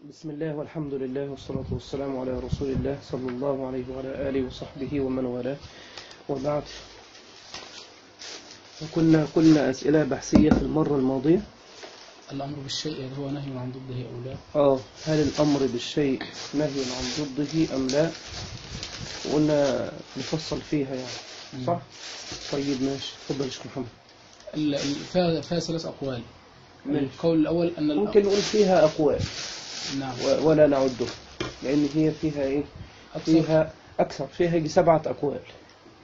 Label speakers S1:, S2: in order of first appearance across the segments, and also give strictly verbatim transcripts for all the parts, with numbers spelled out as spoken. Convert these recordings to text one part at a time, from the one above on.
S1: بسم الله والحمد لله والصلاة والسلام على رسول الله صلى الله عليه وعلى آله وصحبه ومن والاه، وبعد. كنا قلنا أسئلة بحثية في المرة الماضية.
S2: الأمر بالشيء هو نهي عن ضده أو لا؟
S1: آه هل الأمر بالشيء نهي عن ضده أم لا؟ وقلنا نفصل فيها يعني، صح؟ طيب ماشي، تفضل يا شيخ محمد.
S2: ال- ال- فيها فيها ثلاث أقوال.
S1: ماشي.
S2: القول الأول أن الأ-
S1: ممكن نقول فيها أقوال
S2: نعم
S1: و- ولا نعدها، لأن هي فيها إيه؟ فيها أكثر، فيها يجي سبعة أقوال.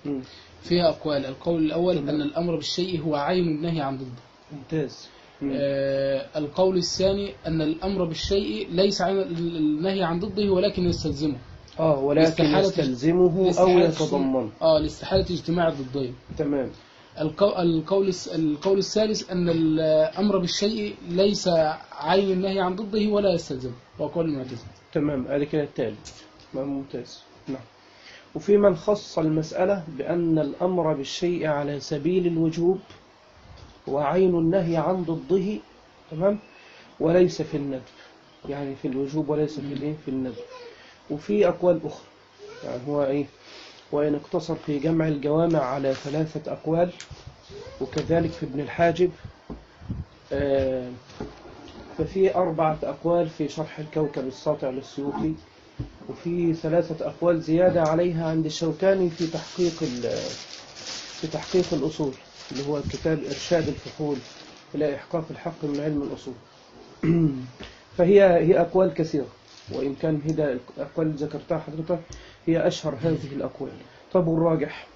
S1: مم.
S2: فيها أقوال. القول الأول
S1: تمام.
S2: أن الأمر بالشيء هو عين النهي عن ضده.
S1: ممتاز. مم.
S2: آه القول الثاني أن الأمر بالشيء ليس عين ال- النهي عن ضده ولكن يستلزمه.
S1: آه ولكن
S2: لاستحالة-
S1: يستلزمه أو
S2: لاستحالة
S1: يتضمن.
S2: آه لاستحالة اجتماع الضدين.
S1: تمام.
S2: القو- القول الس- القول الثالث أن الأمر بالشيء ليس عين النهي عن ضده ولا يستلزمه، هو قول المعتزلة.
S1: تمام، ادي كده الثالث. ممتاز. نعم. وفي من خص المسألة بأن الأمر بالشيء على سبيل الوجوب وعين النهي عن ضده، تمام، وليس في الندب، يعني في الوجوب وليس في الايه في الندب. وفي أقوال أخرى، يعني هو إيه، وإن اقتصر في جمع الجوامع على ثلاثة أقوال، وكذلك في ابن الحاجب، آه ففي أربعة أقوال في شرح الكوكب الساطع للسيوطي، وفي ثلاثة أقوال زيادة عليها عند الشوكاني في تحقيق في تحقيق الأصول، اللي هو كتاب إرشاد الفحول إلى إحقاق الحق من علم الأصول. فهي هي أقوال كثيرة، وإن كان هذا الأقوال اللي ذكرتها حضرتك هي أشهر هذه الأقوال. طب والراجح؟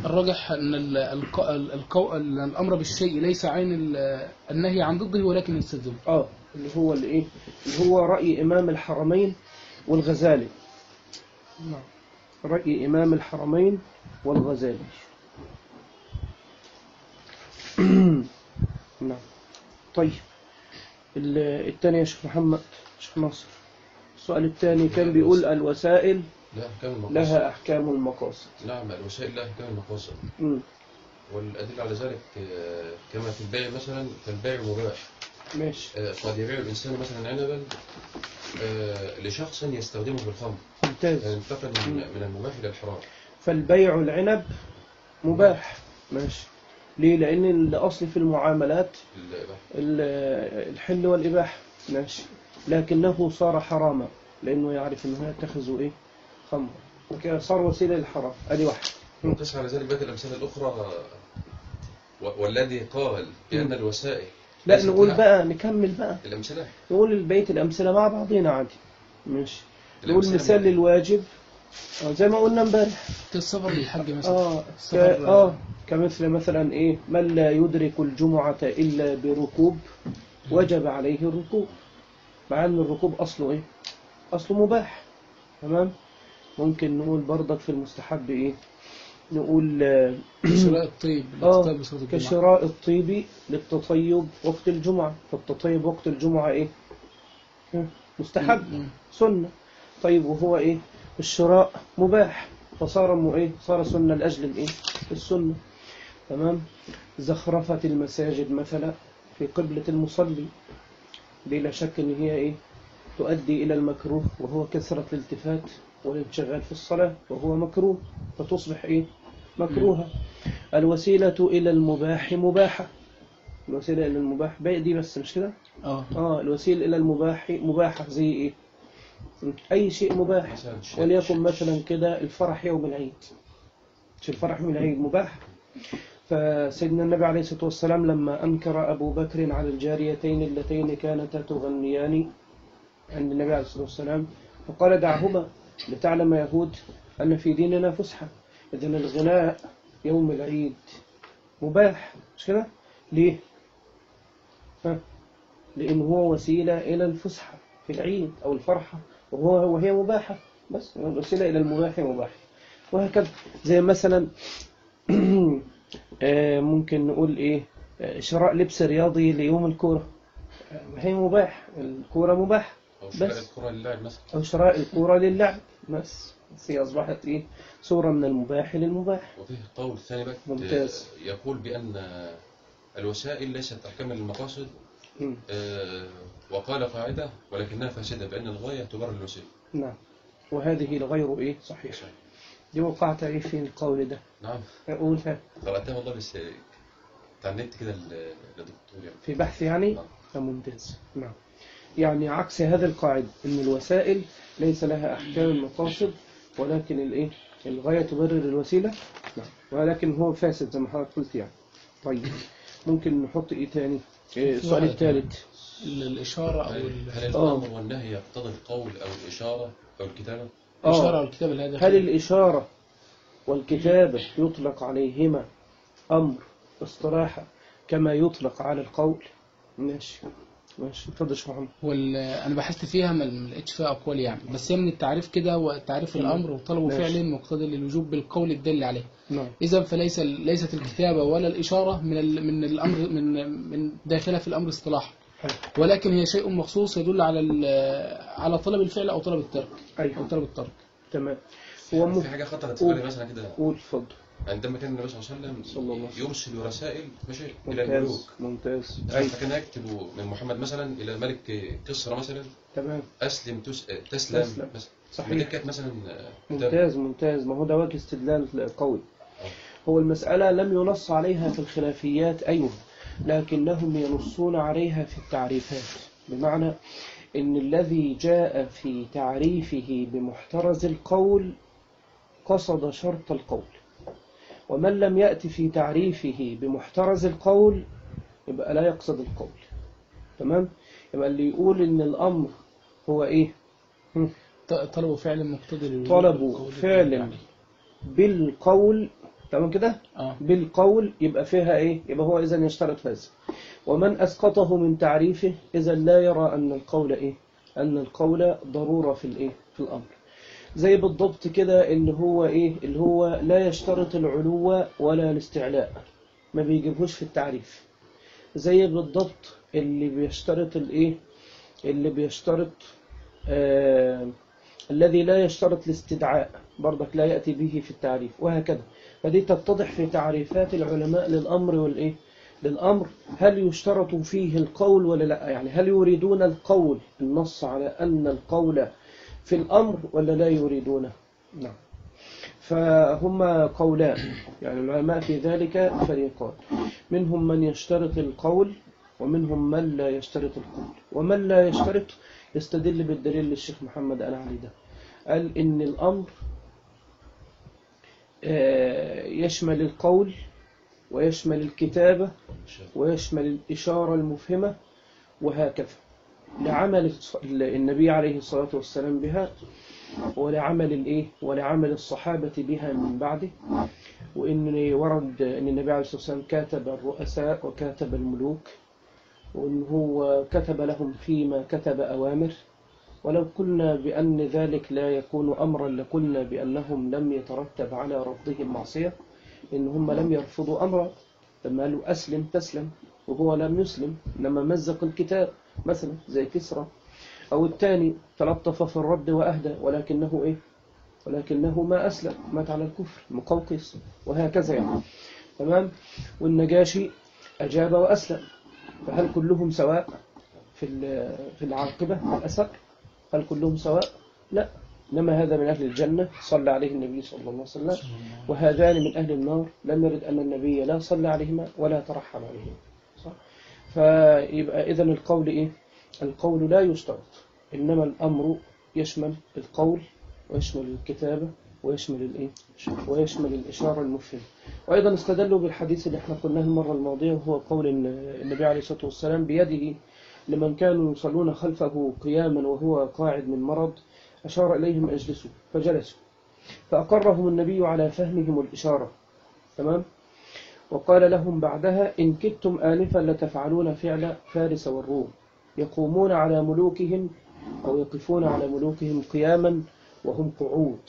S2: الراجح أن ال- الق- القو- الأمر بالشيء ليس عين ال- النهي عن ضده ولكن يستلزمه.
S1: آه اللي هو اللي إيه اللي هو رأي إمام الحرمين والغزالي. نعم، رأي إمام الحرمين والغزالي. نعم. طيب الثاني يا شيخ محمد، شيخ ناصر، السؤال الثاني كان بيقول الوسائل
S3: لا أحكام المقاصد.
S1: لها أحكام المقاصد.
S3: نعم، الوسائل لها أحكام المقاصد.
S1: مم.
S3: والأدلة على ذلك آه، كما في البيع مثلا، فالبيع مباح.
S1: ماشي.
S3: آه، قد يبيع الإنسان مثلا عنبا آه، لشخص يستخدمه في الخمر،
S1: ممتاز.
S3: فينتقل من من المباح إلى الحرام.
S1: فالبيع العنب مباح. ماشي. ليه؟ لأن الأصل في المعاملات
S3: الإباحة.
S1: ال- الحل والإباحة. ماشي. لكنه صار حراما لأنه يعرف أنه يتخذ إيه خمر، وكده صار وسيلة للحرام. أدي واحد.
S3: وقس على ذلك بقى الأمثلة الأخرى، و- والذي قال بأن
S1: مم.
S3: الوسائل
S1: لا
S3: ليست
S1: نقول
S3: لها-
S1: بقى، نكمل بقى،
S3: الأمثلة
S1: نقول البيت الأمثلة مع بعضنا عادي. ماشي. نقول
S3: الأمثلة
S1: مثال
S3: من-
S1: للواجب، آه، زي ما قلنا امبارح.
S2: كالسفر للحج مثلا.
S1: اه ك...
S2: السفر
S1: اه كمثل مثلا ايه، من لا يدرك الجمعة إلا بركوب وجب عليه الركوب، مع ان الركوب اصله ايه، اصله مباح. تمام. ممكن نقول برضك في المستحب ايه، نقول اه
S2: شراء الطيب
S1: آه،
S2: للتطيب بصلاة الجمعة.
S1: كشراء الطيب للتطيب وقت الجمعة، فالتطيب وقت الجمعة ايه، مستحب،
S2: مم.
S1: سنة. طيب وهو ايه، الشراء مباح، فصار مو ايه، صار سنة لأجل الايه، السنة. تمام. زخرفة المساجد مثلا في قبلة المصلي، دي لا شك ان هي ايه، تؤدي الى المكروه، وهو كثرة الالتفات والانشغال في الصلاة، وهو مكروه، فتصبح ايه، مكروهة. الوسيلة الى المباح مباحة، الوسيلة الى المباح باقي دي بس، مش كده؟
S2: اه
S1: اه الوسيلة الى المباح مباحة زي ايه، اي شيء مباح.
S3: مثلا ش-
S1: وليكن
S3: ش-
S1: مثلا كده الفرح يوم العيد، مش الفرح يوم العيد مباح. فسيدنا النبي عليه الصلاة والسلام لما أنكر أبو بكر على الجاريتين اللتين كانتا تغنيان عند النبي عليه الصلاة والسلام، فقال دعهما لتعلم يهود أن في ديننا فسحة. إذن الغناء يوم العيد مباح، مش كده؟ ليه؟ ها؟ لأن هو وسيلة إلى الفسحة في العيد أو الفرحة، وهو وهي مباحة، بس وسيلة إلى المباح مباح. وهكذا زي مثلا ممكن نقول إيه، شراء لبس رياضي ليوم الكورة، هي مباح، الكورة مباح.
S3: أو شراء
S1: بس
S3: الكرة للاعب مثلا.
S1: أو شراء الكورة للعب، بس بس هي أصبحت إيه، صورة من المباح للمباح.
S3: وفيه قول ثاني بقى
S1: ممتاز.
S3: يقول بأن الوسائل ليست أحكام للمقاصد،
S1: مم.
S3: آه، وقال قاعدة ولكنها فاسدة بأن الغاية تبرر الوسيلة.
S1: نعم. وهذه الغير إيه صحيح. دي وقعت إيه في القول ده؟
S3: نعم.
S1: أقولها
S3: قرأتها والله بس بتاع النت كده للدكتور يعني.
S1: في بحث يعني.
S3: نعم.
S1: ممتاز. نعم. يعني عكس هذا القاعدة إن الوسائل ليس لها أحكام المقاصد، ولكن الإيه الغاية تبرر الوسيلة. نعم. ولكن هو فاسد زي ما حضرتك قلت يعني. طيب ممكن نحط إيه تاني؟ إيه السؤال الثالث؟
S2: الإشارة أو
S3: هل
S2: ال-
S3: هل الأمر والنهي يقتضي القول أو الإشارة أو الكتابة؟
S2: الإشارة أو
S1: آه.
S2: الكتابة اللي هي
S1: هل
S2: داخل.
S1: الإشارة والكتابة يطلق عليهما أمر اصطلاحا كما يطلق على القول؟ ماشي ماشي. اتفضل يا شيخ محمد.
S2: وال... أنا بحثت فيها ما ما لقيتش فيها أقوال يعني، بس هي من التعريف كده، وتعريف
S1: تمام.
S2: الأمر وطلبه
S1: ماشي.
S2: فعل مقتضي للوجوب بالقول الدل عليه.
S1: نعم.
S2: إذا فليس ليست الكتابة ولا الإشارة من ال... من الأمر من من داخلة في الأمر اصطلاحا،
S1: حلو.
S2: ولكن هي شيء مخصوص يدل على ال... على طلب الفعل أو طلب الترك أو
S1: أيوه
S2: طلب الترك.
S1: تمام. هو
S3: في
S1: مف...
S3: حاجة خطرت في بالي مثلا كده،
S1: قول اتفضل.
S3: عندما كان النبي صلى الله عليه
S1: صلى الله عليه
S3: وسلم
S1: وسلم.
S3: يرسل رسائل ماشي إلى الملوك،
S1: ممتاز ممتاز. أيوه
S3: فكان يكتب من محمد مثلا إلى ملك كسرى مثلا
S1: تمام.
S3: أسلم تس... تسلم,
S1: تسلم.
S3: مثلا.
S1: صحيح.
S3: ودي كانت مثلا
S1: ممتاز ممتاز. ما هو ده وجه استدلال قوي.
S3: آه.
S1: هو المسألة لم ينص عليها في الخلافيات أيوه، لكنهم ينصون عليها في التعريفات، بمعنى إن الذي جاء في تعريفه بمحترز القول قصد شرط القول، ومن لم يأتي في تعريفه بمحترز القول يبقى لا يقصد القول. تمام. يبقى اللي يقول إن الأمر هو إيه؟ هم.
S2: ط- طلبوا فعل مقتضي للوجوب
S1: طلبوا
S2: بالقول الدل
S1: فعل
S2: عليه.
S1: بالقول. تمام كده.
S2: آه.
S1: بالقول يبقى فيها إيه؟ يبقى هو إذن يشترط هذا. ومن أسقطه من تعريفه إذا لا يرى أن القول إيه؟ أن القول ضرورة في الإيه؟ في الأمر. زي بالضبط كده اللي هو إيه؟ اللي هو لا يشترط العلو ولا الاستعلاء، ما بيجيبهوش في التعريف. زي بالضبط اللي بيشترط الإيه؟ اللي بيشترط آه الذي لا يشترط الاستدعاء برضك لا يأتي به في التعريف، وهكذا. فدي تتضح في تعريفات العلماء للأمر والإيه؟ للأمر. هل يشترط فيه القول ولا لا؟ يعني هل يريدون القول، النص على أن القول في الأمر، ولا لا يريدونه؟ نعم. فهم قولان، يعني العلماء في ذلك فريقان، منهم من يشترط القول ومنهم من لا يشترط القول. ومن لا يشترط يستدل بالدليل للشيخ محمد قال عليه ده، قال إن الأمر يشمل القول ويشمل الكتابة ويشمل الإشارة المفهمة وهكذا، لعمل النبي عليه الصلاة والسلام بها، ولعمل الإيه ولعمل الصحابة بها من بعده. وإن ورد أن النبي عليه الصلاة والسلام كاتب الرؤساء وكاتب الملوك، وإن هو كتب لهم فيما كتب أوامر. ولو قلنا بأن ذلك لا يكون أمرا لقلنا بأنهم لم يترتب على رفضهم معصية، إن هم لم يرفضوا أمرا. لما قالوا أسلم تسلم وهو لم يسلم، إنما مزق الكتاب مثلا زي كسرى. أو الثاني تلطف في الرد وأهدى ولكنه إيه ولكنه ما أسلم، مات على الكفر، مقوقس، وهكذا يعني. تمام. والنجاشي أجاب وأسلم. فهل كلهم سواء في في العاقبة في الأثر؟ هل كلهم سواء؟ لا. إنما هذا من أهل الجنة صلى عليه النبي صلى الله عليه وسلم، وهذان من أهل النار لم يرد أن النبي لا صلى عليهما ولا ترحم عليهما. صح؟ فيبقى إذن القول إيه؟ القول لا يشترط، إنما الأمر يشمل القول ويشمل الكتابة ويشمل الإيه؟ ويشمل الإشارة المفهمة. وأيضا استدلوا بالحديث اللي احنا قلناه المرة الماضية، وهو قول النبي عليه الصلاة والسلام بيده لمن كانوا يصلون خلفه قياما وهو قاعد من مرض، أشار إليهم أجلسوا فجلسوا، فأقرهم النبي على فهمهم الإشارة. تمام. وقال لهم بعدها إن كدتم آنفا لتفعلون فعل فارس والروم، يقومون على ملوكهم أو يقفون على ملوكهم قياما وهم قعود،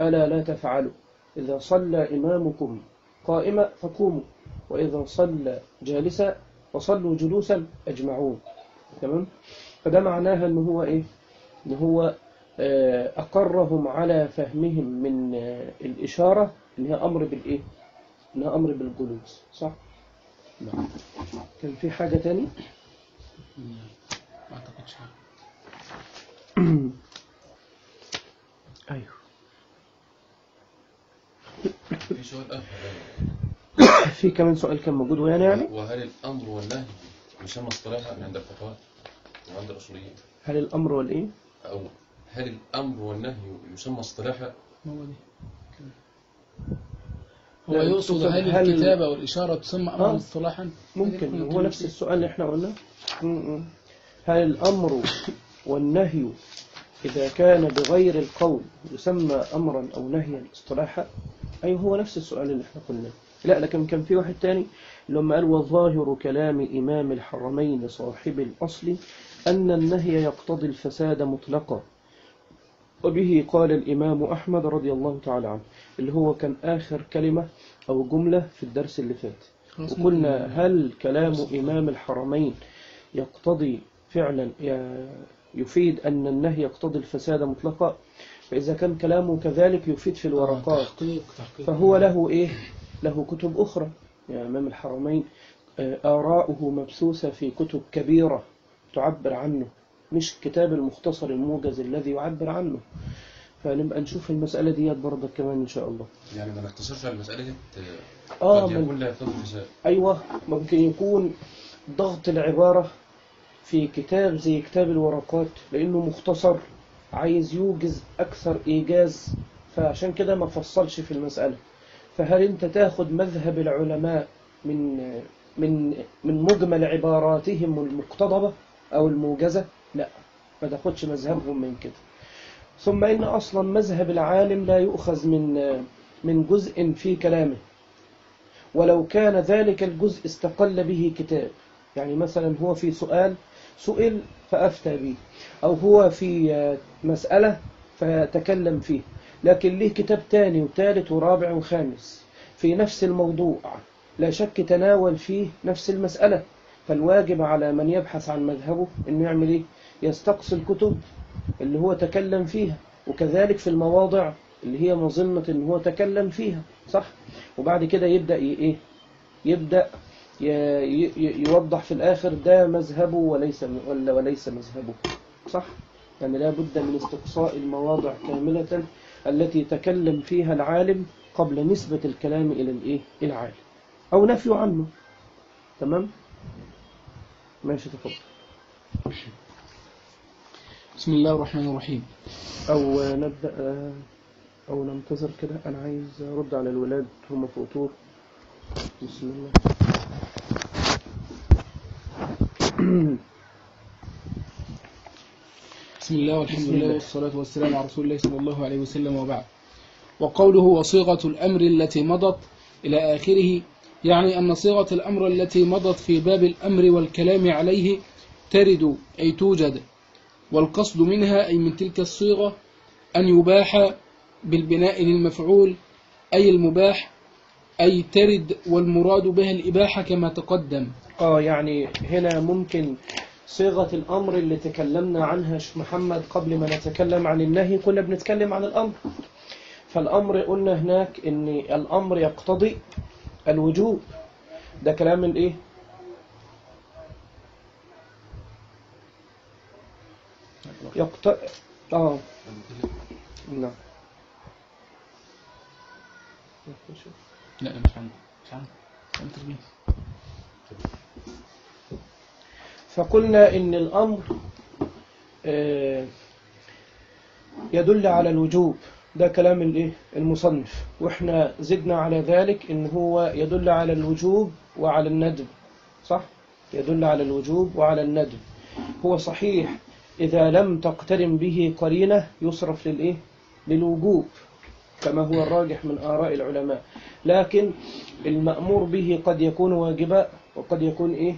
S1: ألا لا تفعلوا، إذا صلى إمامكم قائما فقوموا، وإذا صلى جالسا فصلوا جلوسا أجمعون. تمام. فده معناها أنه هو إيه؟ أنه هو أقرهم على فهمهم من الإشارة أنها أمر بالإيه؟ أنها أمر بالجلوس. صح؟ نعم. كان في حاجة تاني؟
S2: ما اعتقدش.
S1: ايوه.
S3: في سؤال آخر.
S1: في كمان سؤال كان موجود ويانا يعني.
S3: وهل الأمر والنهي يسمى اصطلاحا عند الفقهاء وعند الأصوليين؟
S1: هل الامر والايه؟
S3: أو هل الأمر والنهي يسمى اصطلاحا؟
S2: هو دي. هو
S1: لا،
S2: يقصد
S1: تقصد
S2: هل
S1: هل-
S2: الكتابة والإشارة تسمى أمرا
S1: آه.
S2: اصطلاحا؟
S1: ممكن هو نفس السؤال اللي احنا قلناه. م- م. هل الامر والنهي اذا كان بغير القول يسمى امرا او نهيا اصطلاحا؟ اي هو نفس السؤال اللي احنا قلناه. لا لكن كان في واحد تاني لما قال وظاهر كلام إمام الحرمين صاحب الأصل أن النهي يقتضي الفساد مطلقا، وبه قال الإمام أحمد رضي الله تعالى عنه، اللي هو كان آخر كلمة أو جملة في الدرس اللي فات. وقلنا هل كلام إمام الحرمين يقتضي فعلا يفيد أن النهي يقتضي الفساد مطلقا؟ فإذا كان كلامه كذلك يفيد في الورقات،
S2: تحقيق تحقيق.
S1: فهو له إيه؟ له كتب أخرى. يعني إمام الحرمين آراؤه مبثوثة في كتب كبيرة تعبر عنه، مش كتاب المختصر الموجز الذي يعبر عنه. فنبقى نشوف المسألة دي برضه كمان إن شاء الله.
S3: يعني ما نختصرش على المسألة دي.
S1: آه
S3: قد
S1: من
S3: يكون لا يقتضي الفساد.
S1: أيوة، ممكن يكون ضغط العبارة في كتاب زي كتاب الورقات لأنه مختصر عايز يوجز أكثر إيجاز، فعشان كده ما فصلش في المسألة. فهل أنت تاخد مذهب العلماء من من من مجمل عباراتهم المقتضبة أو الموجزة؟ لا، ما تاخدش مذهبهم من كده. ثم إن أصلا مذهب العالم لا يؤخذ من من جزء في كلامه، ولو كان ذلك الجزء استقل به كتاب. يعني مثلا هو في سؤال سئل فأفتى به، أو هو في مسألة فتكلم فيه، لكن ليه كتاب تاني وثالث ورابع وخامس في نفس الموضوع، لا شك تناول فيه نفس المسألة. فالواجب على من يبحث عن مذهبه إنه يعمل إيه؟ يستقصي الكتب اللي هو تكلم فيها، وكذلك في المواضع اللي هي مظنة إن هو تكلم فيها، صح؟ وبعد كده يبدأ إيه؟ يبدأ يوضح في الآخر ده مذهبه وليس ولا وليس مذهبه، صح؟ يعني لا بد من استقصاء المواضع كاملة التي تكلم فيها العالم قبل نسبة الكلام إلى الإيه؟ العالم أو نفي عنه. تمام؟ ماشي، تفضل.
S2: بسم الله الرحمن الرحيم.
S1: أو نبدأ أو ننتظر كده، أنا عايز أرد على الولاد هم في أطور. بسم الله.
S2: بسم الله والحمد لله والصلاة والسلام على رسول الله صلى الله عليه وسلم، وبعد. وقوله وصيغة الأمر التي مضت إلى آخره، يعني أن صيغة الأمر التي مضت في باب الأمر والكلام عليه ترد أي توجد، والقصد منها أي من تلك الصيغة أن يباح بالبناء للمفعول أي المباح، أي ترد والمراد بها الإباحة كما تقدم.
S1: آه يعني هنا ممكن صيغة الأمر اللي تكلمنا عنها شيخ محمد قبل ما نتكلم عن النهي، كنا بنتكلم عن الأمر. فالأمر قلنا هناك إن الأمر يقتضي الوجوب، ده كلام الإيه؟ يقتضي آه نعم.
S2: لا مش عندي مش عندي.
S1: فقلنا إن الأمر يدل على الوجوب، ده كلام الإيه؟ المصنف. وإحنا زدنا على ذلك إن هو يدل على الوجوب وعلى الندب، صح؟ يدل على الوجوب وعلى الندب. هو صحيح إذا لم تقترن به قرينة يصرف للإيه؟ للوجوب كما هو الراجح من آراء العلماء، لكن المأمور به قد يكون واجبا وقد يكون إيه؟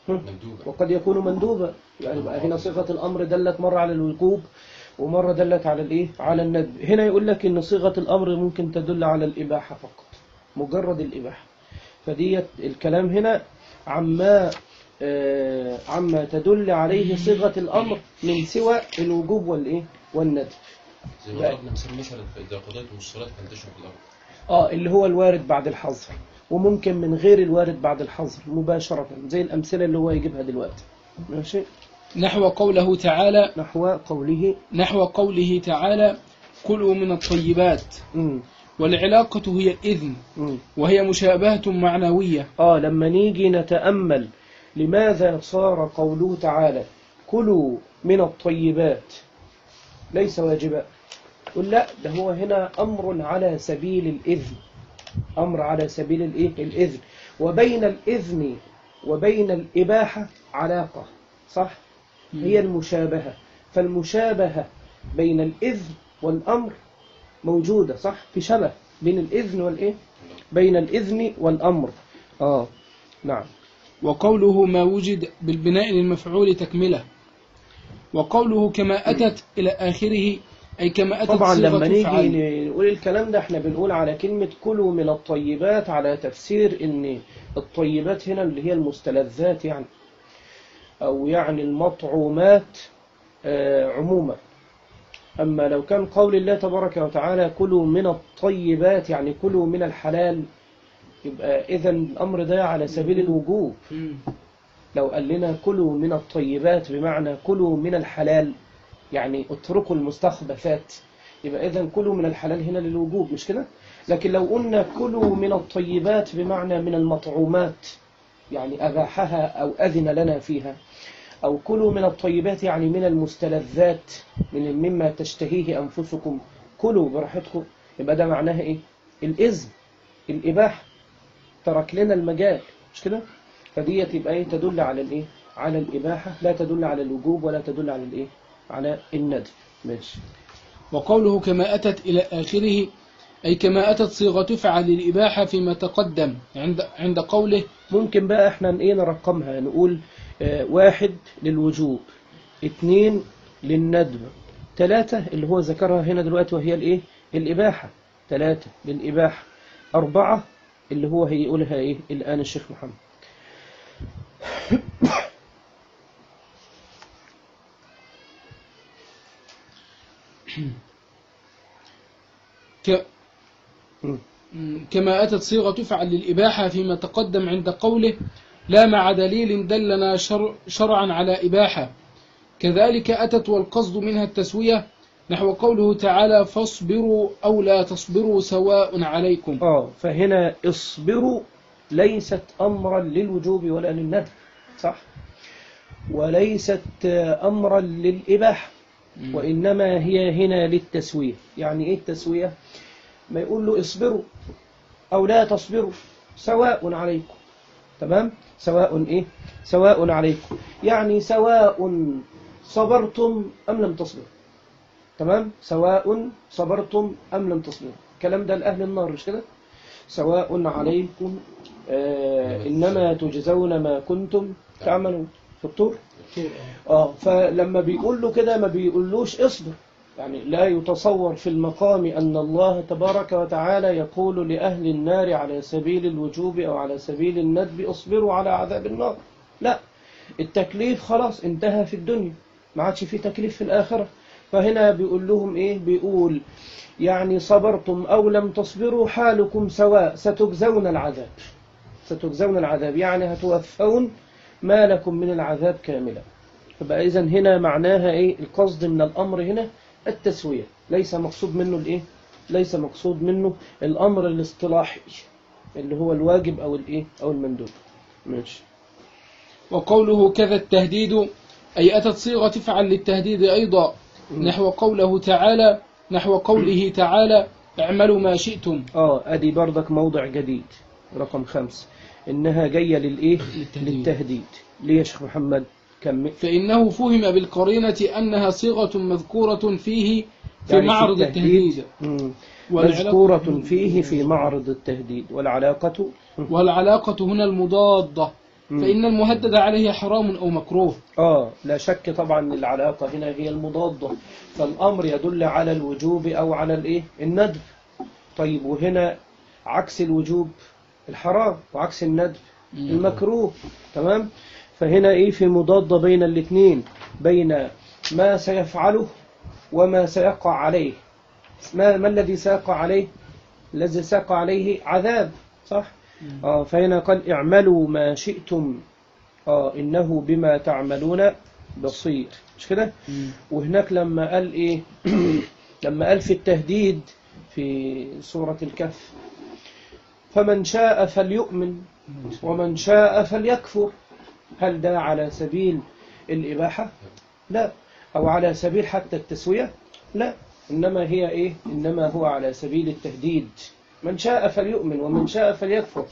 S3: مندوبة.
S1: وقد يكون مندوبا. يعني بقى هنا صيغة الأمر دلت مرة على الوجوب ومرة دلت على الإيه؟ على الندب. هنا يقول لك إن صيغة الأمر ممكن تدل على الإباحة فقط، مجرد الإباحة. فديت الكلام هنا عما آه عما تدل عليه صيغة الأمر من سوى الوجوب والإيه؟ والندب.
S3: زي ما ضربنا مثال مثلا إذا قضيتم الصلاة فانتشروا في الأرض.
S1: آه اللي هو الوارد بعد الحظر، وممكن من غير الوارد بعد الحظر مباشرة، زي الأمثلة اللي هو يجيبها دلوقتي. ماشي.
S2: نحو قوله تعالى
S1: نحو قوله
S2: نحو قوله تعالى كلوا من الطيبات.
S1: مم.
S2: والعلاقة هي الإذن،
S1: مم.
S2: وهي مشابهة معنوية.
S1: آه لما نيجي نتأمل لماذا صار قوله تعالى كلوا من الطيبات ليس واجبا، قل لا، ده هو هنا أمر على سبيل الإذن، أمر على سبيل الإيه؟ الإذن، وبين الإذن وبين الإباحة علاقة، صح؟ هي المشابهة، فالمشابهة بين الإذن والأمر موجودة، صح؟ في شبه بين الإذن والإيه؟ بين الإذن والأمر. آه نعم.
S2: وقوله ما وجد بالبناء للمفعول تكملة. وقوله كما أتت إلى آخره أي كما أتت
S1: طبعا
S2: صيغة
S1: لما نيجي
S2: فعل.
S1: نقول الكلام ده احنا بنقول على كلمة كلوا من الطيبات على تفسير ان الطيبات هنا اللي هي المستلذات يعني، او يعني المطعومات آه عموما. اما لو كان قول الله تبارك وتعالى كلوا من الطيبات يعني كلوا من الحلال، يبقى اذا الامر ده على سبيل الوجوب. لو قال لنا كلوا من الطيبات بمعنى كلوا من الحلال يعني اتركوا المستخبثات، يبقى إذن كلوا من الحلال هنا للوجوب، مش كده؟ لكن لو قلنا كلوا من الطيبات بمعنى من المطعومات يعني أباحها أو أذن لنا فيها، أو كلوا من الطيبات يعني من المستلذات من مما تشتهيه أنفسكم كلوا براحتكم، يبقى ده معناها إيه؟ الإذن، الإباحة، ترك لنا المجال، مش كده؟ فدي تبقى إيه؟ تدل على الإيه؟ على الإباحة، لا تدل على الوجوب ولا تدل على الإيه؟ على الندب. ماشي.
S2: وقوله كما أتت إلى آخره أي كما أتت صيغة فعل للإباحة فيما تقدم عند عند قوله.
S1: ممكن بقى احنا ايه نرقمها، نقول اه واحد للوجوب، اثنين للندب، ثلاثة اللي هو ذكرها هنا دلوقتي وهي الايه الإباحة، ثلاثة للإباحة، أربعة اللي هو هيقولها ايه الآن الشيخ محمد.
S2: ك... كما أتت صيغة تفعل للإباحة فيما تقدم عند قوله لا مع دليل دلنا شر... شرعا على إباحة. كذلك أتت والقصد منها التسوية نحو قوله تعالى فاصبروا أو لا تصبروا سواء عليكم.
S1: آه فهنا اصبروا ليست أمرا للوجوب ولا للندب، صح؟ وليست أمرا للإباحة، وإنما هي هنا للتسوية. يعني إيه التسوية؟ ما يقول له اصبروا أو لا تصبروا سواء عليكم، تمام؟ سواء إيه؟ سواء عليكم، يعني سواء صبرتم أم لم تصبروا، تمام؟ سواء صبرتم أم لم تصبروا، الكلام ده لأهل النار، مش كده؟ سواء عليكم آه إنما تجزون ما كنتم تعملون في الطور. آه فلما بيقول له كده ما بيقولوش اصبر، يعني لا يتصور في المقام أن الله تبارك وتعالى يقول لأهل النار على سبيل الوجوب أو على سبيل الندب اصبروا على عذاب النار، لا، التكليف خلاص انتهى في الدنيا، ما عادش في تكليف في الآخرة. فهنا بيقول لهم إيه؟ بيقول يعني صبرتم أو لم تصبروا حالكم سواء، ستجزون العذاب، ستجزون العذاب يعني هتوفون ما لكم من العذاب كاملا. فبقى إذن هنا معناها إيه؟ القصد من الأمر هنا التسوية، ليس مقصود منه الإيه؟ ليس مقصود منه الأمر الاصطلاحي اللي هو الواجب أو الإيه؟ أو المندوب. ماشي.
S2: وقوله كذا التهديد أي أتت صيغة تفعل للتهديد أيضا نحو قوله تعالى نحو قوله تعالى اعملوا ما شئتم.
S1: آه أدي بردك موضع جديد رقم خمس، إنها جاية للإيه؟
S2: للتهديد.
S1: للتهديد. ليه يا شيخ محمد؟ كمل.
S2: فإنه فهم بالقرينة أنها صيغة مذكورة فيه في يعني معرض في التهديد, التهديد.
S1: مذكورة فيه في معرض التهديد، والعلاقة
S2: والعلاقة هنا المضادة، فإن المهدد عليه حرام أو مكروه.
S1: آه لا شك طبعا العلاقة هنا هي المضادة، فالأمر يدل على الوجوب أو على الإيه؟ الندب. طيب وهنا عكس الوجوب الحرام وعكس الندب المكروه، تمام؟ فهنا إيه؟ في مضادة بين الاثنين، بين ما سيفعله وما سيقع عليه. ما, ما الذي سيقع عليه؟ الذي سيقع عليه عذاب، صح؟ آه فهنا قال اعملوا ما شئتم، آه إنه بما تعملون بصير، مش كده؟ وهناك لما قال إيه لما قال في التهديد في سورة الكهف فمن شاء فليؤمن ومن شاء فليكفر، هل ده على سبيل الإباحة؟ لا. أو على سبيل حتى التسوية؟ لا، إنما هي إيه؟ إنما هو على سبيل التهديد، من شاء فليؤمن ومن شاء فليكفر.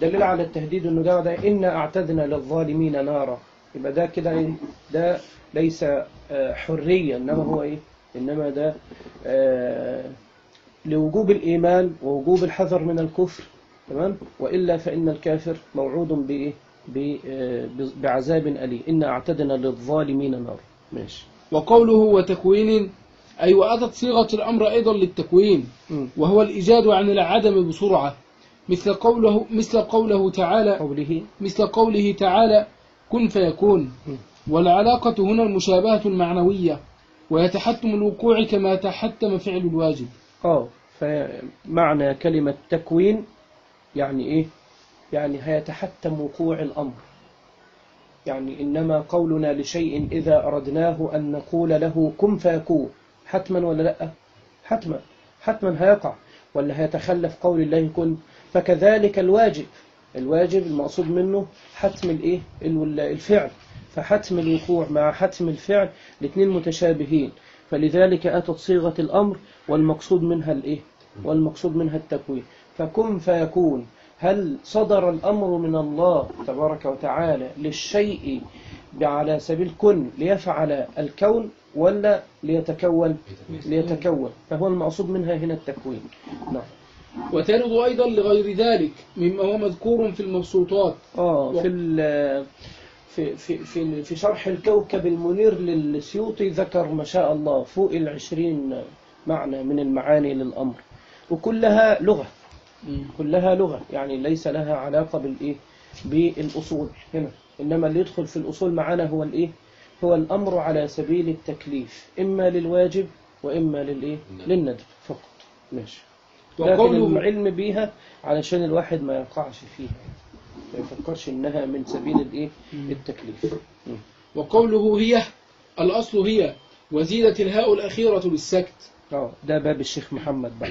S1: دليل على التهديد إنه ده, ده إنا أعتدنا للظالمين نارا، يبقى ده كده إيه؟ ده ليس حرية، إنما هو إيه؟ إنما ده آه لوجوب الإيمان ووجوب الحذر من الكفر، تمام؟ وإلا فإن الكافر موعود بإيه؟ بعذاب أليم، إنا أعتدنا للظالمين نار. ماشي.
S2: وقوله وتكوين أي وأتت صيغة الأمر أيضا للتكوين، وهو الإيجاد عن العدم بسرعة، مثل قوله مثل قوله تعالى
S1: قوله
S2: مثل قوله تعالى كن فيكون. والعلاقة هنا المشابهة المعنوية، ويتحتم الوقوع كما يتحتم فعل الواجب.
S1: آه فمعنى كلمة تكوين يعني إيه؟ يعني هيتحتم وقوع الأمر، يعني إنما قولنا لشيء إذا أردناه أن نقول له كن فيكون حتما ولا لأ؟ حتما حتما هيقع، ولا هيتخلف قول الله كن؟ فكذلك الواجب، الواجب المقصود منه حتم الإيه؟ الفعل، فحتم الوقوع مع حتم الفعل الاثنين متشابهين، فلذلك أتت صيغة الأمر والمقصود منها الإيه؟ والمقصود منها التكوين. فكن فيكون، هل صدر الأمر من الله تبارك وتعالى للشيء على سبيل كن ليفعل الكون ولا ليتكون؟ ليتكون، فهو المقصود منها هنا التكوين. نعم.
S2: وترد أيضا لغير ذلك مما هو مذكور في المبسوطات.
S1: آه في في في في في شرح الكوكب المنير للسيوطي ذكر ما شاء الله فوق العشرين معنى من المعاني للأمر، وكلها لغة، كلها لغة، يعني ليس لها علاقة بالإيه؟ بالأصول هنا، إنما اللي يدخل في الأصول معنا هو الإيه؟ هو الأمر على سبيل التكليف، إما للواجب وإما للإيه؟ للندب فقط. ماشي. لكن العلم بيها علشان الواحد ما يقعش فيها، ما يفكرش إنها من سبيل الإيه؟ التكليف.
S2: وقوله هي الأصل هي، وزيدت الهاء الأخيرة للسكت.
S1: اه ده باب الشيخ محمد بقى.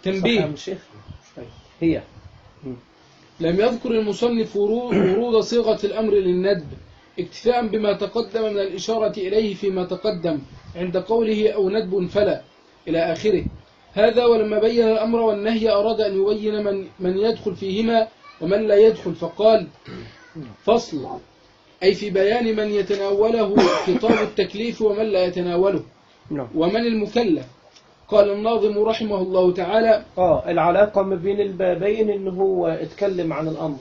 S2: تنبيه.
S1: هي
S2: لم يذكر المصنف ورود صيغة الأمر للندب اكتفاء بما تقدم من الإشارة إليه فيما تقدم عند قوله أو ندب فلا إلى آخره. هذا ولما بين الأمر والنهي أراد أن يبين من, من يدخل فيهما ومن لا يدخل، فقال فصل، أي في بيان من يتناوله خطاب التكليف ومن لا يتناوله ومن المكلف. قال الناظم رحمه الله تعالى
S1: آه العلاقة ما بين البابين إنه هو اتكلم عن الأمر.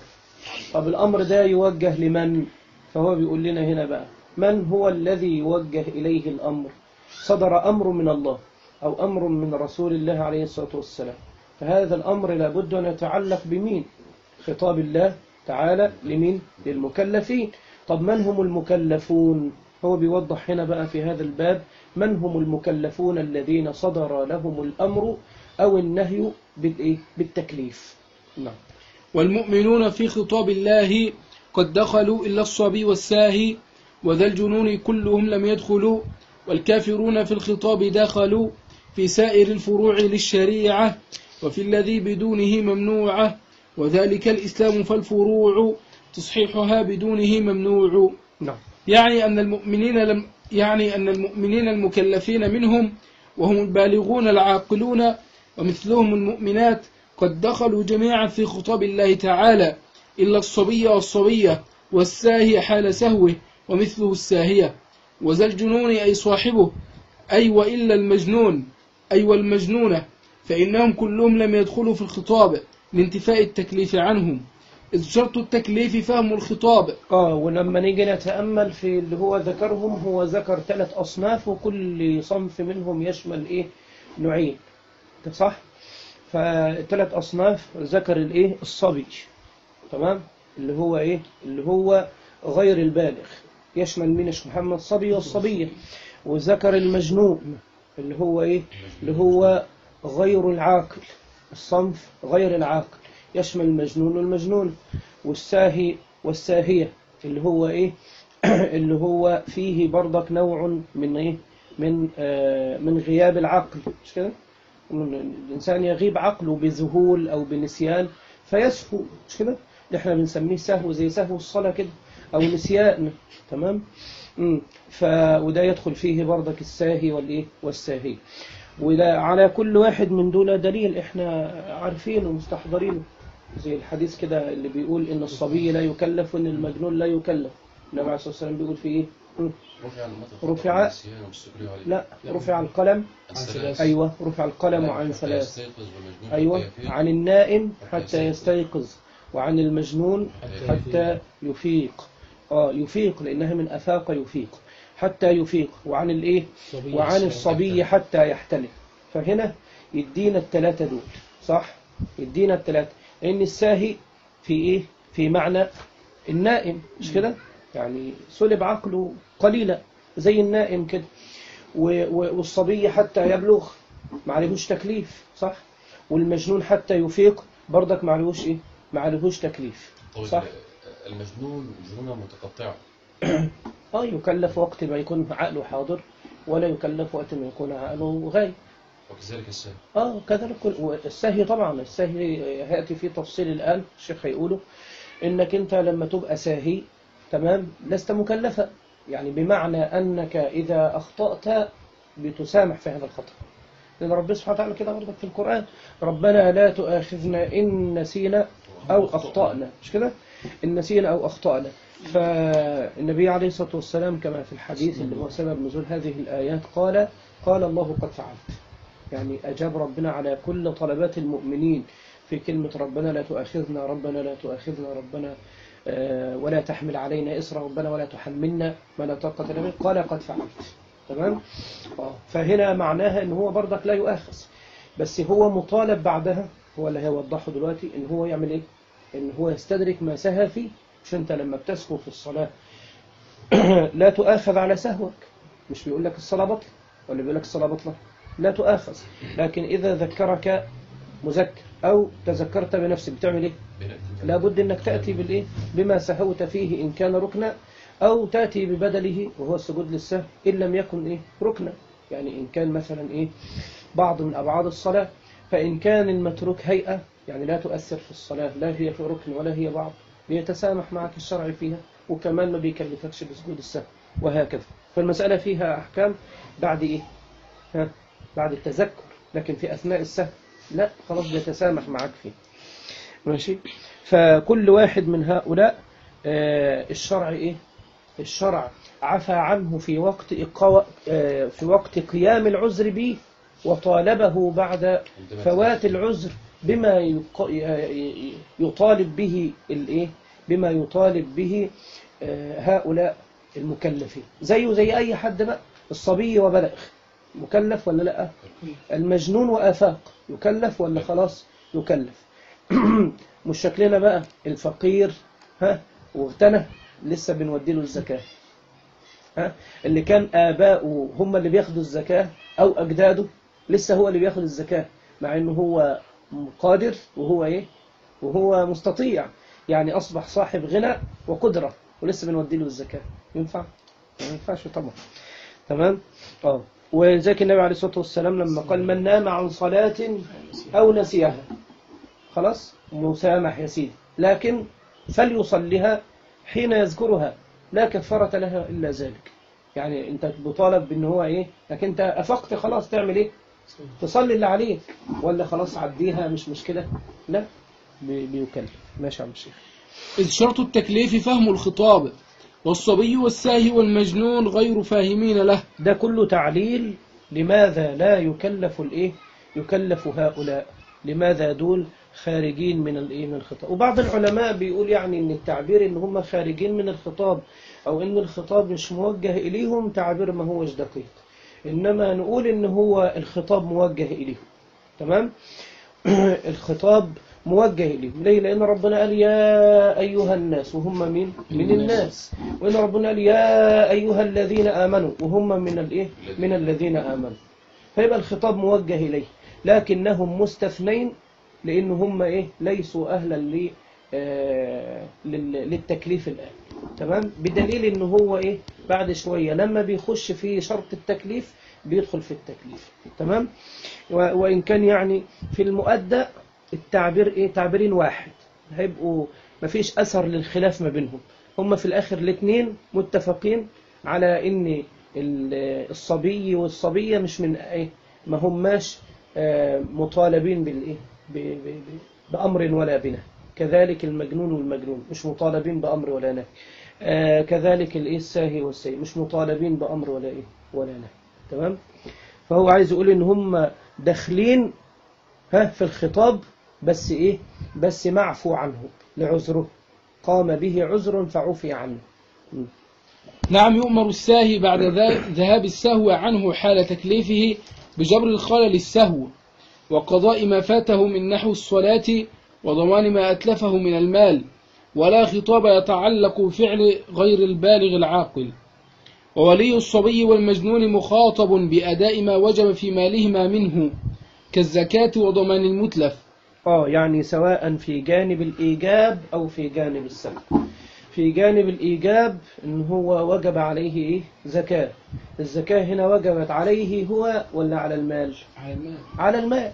S1: طب الأمر ده يوجه لمن؟ فهو بيقول لنا هنا بقى من هو الذي يوجه إليه الأمر؟ صدر أمر من الله أو أمر من رسول الله عليه الصلاة والسلام، فهذا الأمر لابد أن يتعلق بمين؟ خطاب الله تعالى لمين؟ للمكلفين. طب من هم المكلفون؟ هو بيوضح هنا بقى في هذا الباب من هم المكلفون الذين صدر لهم الأمر أو النهي بالتكليف. نعم.
S2: والمؤمنون في خطاب الله قد دخلوا إلا الصبي والساهي وذا الجنون كلهم لم يدخلوا، والكافرون في الخطاب دخلوا في سائر الفروع للشريعة وفي الذي بدونه ممنوعة، وذلك الإسلام فالفروع تصحيحها بدونه ممنوع.
S1: نعم.
S2: يعني أن المؤمنين لم يعني أن المؤمنين المكلفين منهم وهم البالغون العاقلون ومثلهم المؤمنات قد دخلوا جميعا في خطاب الله تعالى إلا الصبي والصبية والساهي حال سهوه ومثله الساهية، وذا الجنون أي صاحبه، أي وإلا المجنون أي والمجنونة، فإنهم كلهم لم يدخلوا في الخطاب لانتفاء التكليف عنهم، إذ شرط التكليف فهم الخطاب.
S1: آه ولما نيجي نتأمل في اللي هو ذكرهم، هو ذكر ثلاث أصناف وكل صنف منهم يشمل إيه؟ نوعين، صح؟ فثلاث أصناف ذكر الإيه؟ الصبي، تمام؟ اللي هو إيه؟ اللي هو غير البالغ، يشمل من محمد الصبي والصبية. وذكر المجنون اللي هو إيه؟ اللي هو غير العاقل، الصنف غير العاقل، يشمل المجنون والمجنون. والساهي والساهية اللي هو إيه اللي هو فيه برضك نوع من إيه من آه من غياب العقل، مش كده؟ الإنسان يغيب عقله بذهول أو بنسيان فيسهو، مش كده؟ اللي احنا بنسميه سهو زي سهو الصلاة كده أو نسيان. تمام؟ امم ف وده يدخل فيه برضك الساهي والإيه والساهي. وده على كل واحد من دول دليل احنا عارفينه ومستحضرينه، زي الحديث كده اللي بيقول إن الصبي لا يكلف وإن المجنون لا يكلف. النبي عليه الصلاة والسلام بيقول في إيه؟ رفع لا رفع القلم. أيوة رفع القلم عن ثلاث. أيوة عن النائم حتى يستيقظ، وعن المجنون حتى يفيق. آه يفيق لأنها من أفاق يفيق، حتى يفيق. وعن الإيه وعن الصبي حتى يحتلم. فهنا يدينا الثلاثة دول، صح؟ يدينا الثلاثة، لأن الساهي في إيه في معنى النائم، مش كده؟ يعني سلب عقله قليلا زي النائم كده. والصبي حتى يبلغ ما عليهوش تكليف، صح؟ والمجنون حتى يفيق برضك ما عليهوش ايه ما عليهوش تكليف، صح؟
S3: المجنون جنونه متقطعه.
S1: اه يكلف وقت ما يكون عقله حاضر، ولا يكلف وقت ما يكون عقله غايب.
S3: وكذلك الساهي.
S1: اه كذلك الساهي طبعا. الساهي هياتي فيه تفصيل الان، الشيخ هيقوله انك انت لما تبقى ساهي تمام لست مكلفا، يعني بمعنى أنك إذا أخطأت بتسامح في هذا الخطأ، لأن ربنا سبحانه وتعالى كده برضك في القرآن ربنا لا تؤاخذنا إن نسينا أو أخطأنا، مش كده؟ إن نسينا أو أخطأنا. فالنبي عليه الصلاة والسلام كما في الحديث اللي هو سبب نزول هذه الآيات قال قال الله قد فعلت، يعني أجاب ربنا على كل طلبات المؤمنين في كلمة ربنا لا تؤاخذنا ربنا لا تؤاخذنا ربنا ولا تحمل علينا إصرا ربنا ولا تحملنا ما لا طاقة لنا، قال قد فعلت. تمام؟ فهنا معناها ان هو برضك لا يؤاخذ، بس هو مطالب بعدها، هو اللي هيوضحه دلوقتي، ان هو يعمل ايه؟ ان هو يستدرك ما سهى فيه. مش انت لما بتسهو في الصلاة لا تؤاخذ على سهوك، مش بيقول لك الصلاة بطلة ولا بيقول لك الصلاة بطلة؟ لا تؤاخذ، لكن إذا ذكرك مذكر أو تذكرت بنفسك بتعمل إيه؟ لابد أنك تأتي بالإيه؟ بما سهوت فيه إن كان ركنا، أو تأتي ببدله وهو السجود للسهو إن لم يكن إيه؟ ركنا، يعني إن كان مثلا إيه؟ بعض من أبعاد الصلاة. فإن كان المتروك هيئة يعني لا تؤثر في الصلاة، لا هي في ركن ولا هي بعض، بيتسامح معك الشرع فيها، وكمان ما بيكلفكش بسجود السهو، وهكذا. فالمسألة فيها أحكام بعد إيه؟ ها؟ بعد التذكر، لكن في أثناء السهو لا، خلاص بيتسامح معك فيه. ماشي؟ فكل واحد من هؤلاء آه الشرع إيه؟ الشرع عفى عنه في وقت إقاء آه في وقت قيام العذر به، وطالبه بعد فوات العذر بما يطالب به الإيه؟ بما يطالب به آه هؤلاء المكلفين، زيه زي أي حد بقى. الصبي وبلغ مكلف ولا لا؟ المجنون وآفاق يكلف ولا خلاص يكلف؟ مش شكلنا بقى الفقير ها واغتنى لسه بنودي له الزكاة، ها اللي كان آباؤه هم اللي بياخدوا الزكاة أو أجداده لسه هو اللي بياخد الزكاة، مع إنه هو قادر وهو إيه وهو مستطيع، يعني أصبح صاحب غنى وقدرة ولسه بنودي له الزكاة. ينفع؟ ما ينفعش طبعا. تمام؟ اه وذلك النبي عليه الصلاة والسلام لما قال من نام عن صلاة أو نسيها خلاص مسامح يا سيدي، لكن فليصليها حين يذكرها لا كفارة لها إلا ذلك. يعني أنت بطالب بأن هو إيه، لكن أنت أفقت خلاص تعمل إيه؟ تصلي اللي عليك، ولا خلاص عديها مش مشكلة؟ لا بيكلف. ماشي يا عم الشيخ.
S2: إذ شرط التكليف فهم الخطاب، والصبي والساهي والمجنون غير فاهمين له.
S1: ده كله تعليل لماذا لا يكلف الإيه؟ يكلف هؤلاء، لماذا دول خارجين من الإيه من الخطاب. وبعض العلماء بيقول يعني إن التعبير إن هم خارجين من الخطاب أو إن الخطاب مش موجه إليهم تعبير ما هوش دقيق، إنما نقول إن هو الخطاب موجه إليهم. تمام؟ الخطاب موجه إليهم ليه؟ لأن ربنا قال يا أيها الناس، وهم مين؟ من الناس. وإن ربنا قال يا أيها الذين آمنوا، وهم من الإيه؟ من الذين آمنوا. فيبقى الخطاب موجه إليه، لكنهم مستثنين لأن هم إيه؟ ليسوا أهلا آه للتكليف الآن. تمام، بدليل إنه هو إيه بعد شوية لما بيخش في شرط التكليف بيدخل في التكليف. تمام، وإن كان يعني في المؤدى التعبير إيه تعبيرين واحد، هيبقوا مفيش أثر للخلاف ما بينهم، هم في الآخر الاثنين متفقين على إن الصبي والصبية مش من إيه ما هماش مطالبين بالإيه بأمر ولا بنهي، كذلك المجنون والمجنون مش مطالبين بأمر ولا نهي، آه كذلك الإيه الساهي والساهي مش مطالبين بأمر ولا إيه ولا نهي. تمام، فهو عايز يقول إن هم داخلين ها في الخطاب، بس إيه بس معفو عنه لعذره، قام به عذر فعفي عنه. م.
S2: نعم، يؤمر الساهي بعد ذهاب السهو عنه حال تكليفه بجبر الخلل السهو وقضاء ما فاته من نحو الصلاة وضمان ما أتلفه من المال، ولا خطاب يتعلق بفعل غير البالغ العاقل. وولي الصبي والمجنون مخاطب بأداء ما وجب في مالهما منه كالزكاة وضمان المتلف.
S1: آه يعني سواء في جانب الإيجاب أو في جانب السلب. في جانب الإيجاب إن هو وجب عليه إيه زكاة، الزكاة هنا وجبت عليه هو ولا على المال؟
S2: على المال.
S1: على المال،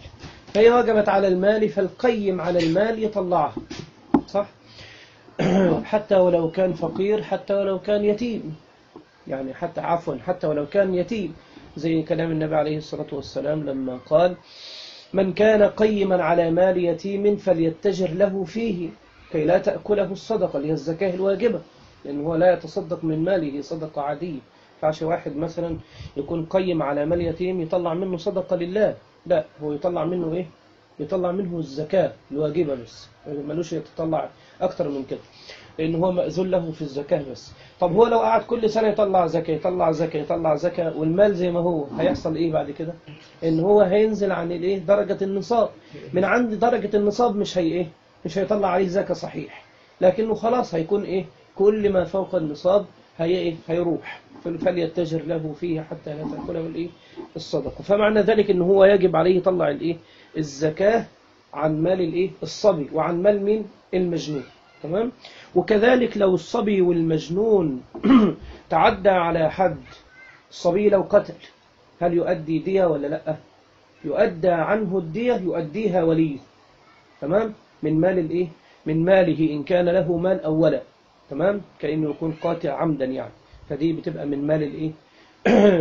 S1: فهي وجبت على المال، فالقيم على المال يطلعها، صح؟ حتى ولو كان فقير، حتى ولو كان يتيم، يعني حتى عفوا حتى ولو كان يتيم، زي كلام النبي عليه الصلاة والسلام لما قال: من كان قيما على مال يتيم فليتجر له فيه كي لا تأكله الصدقة، اللي هي الزكاة الواجبة، لأنه هو لا يتصدق من ماله صدقة عادية. فعش واحد مثلا يكون قيم على مال يتيم يطلع منه صدقة لله، لا، هو يطلع منه إيه؟ يطلع منه الزكاة الواجبة بس، ملوش يتطلع أكتر من كده، لأنه هو مأذون له في الزكاة بس. طب هو لو قعد كل سنة يطلع زكاة يطلع زكاة يطلع زكاة والمال زي ما هو، هيحصل إيه بعد كده؟ إن هو هينزل عن الإيه درجة النصاب، من عند درجة النصاب مش هي إيه مش هيطلع عليه زكاة صحيح، لكنه خلاص هيكون إيه كل ما فوق النصاب هي إيه هيروح، فليتجر له فيه حتى لا تأكله الإيه الصدقة. فمعنى ذلك إن هو يجب عليه يطلع الإيه الزكاة عن مال الإيه الصبي وعن مال مين المجنون. تمام، وكذلك لو الصبي والمجنون تعدى على حد، الصبي لو قتل هل يؤدي دية ولا لا؟ يؤدى عنه الدية، يؤديها وليه. تمام، من مال الايه من ماله إن كان له مال أو ولد. تمام، كأنه يكون قاتل عمدا يعني، فدي بتبقى من مال الايه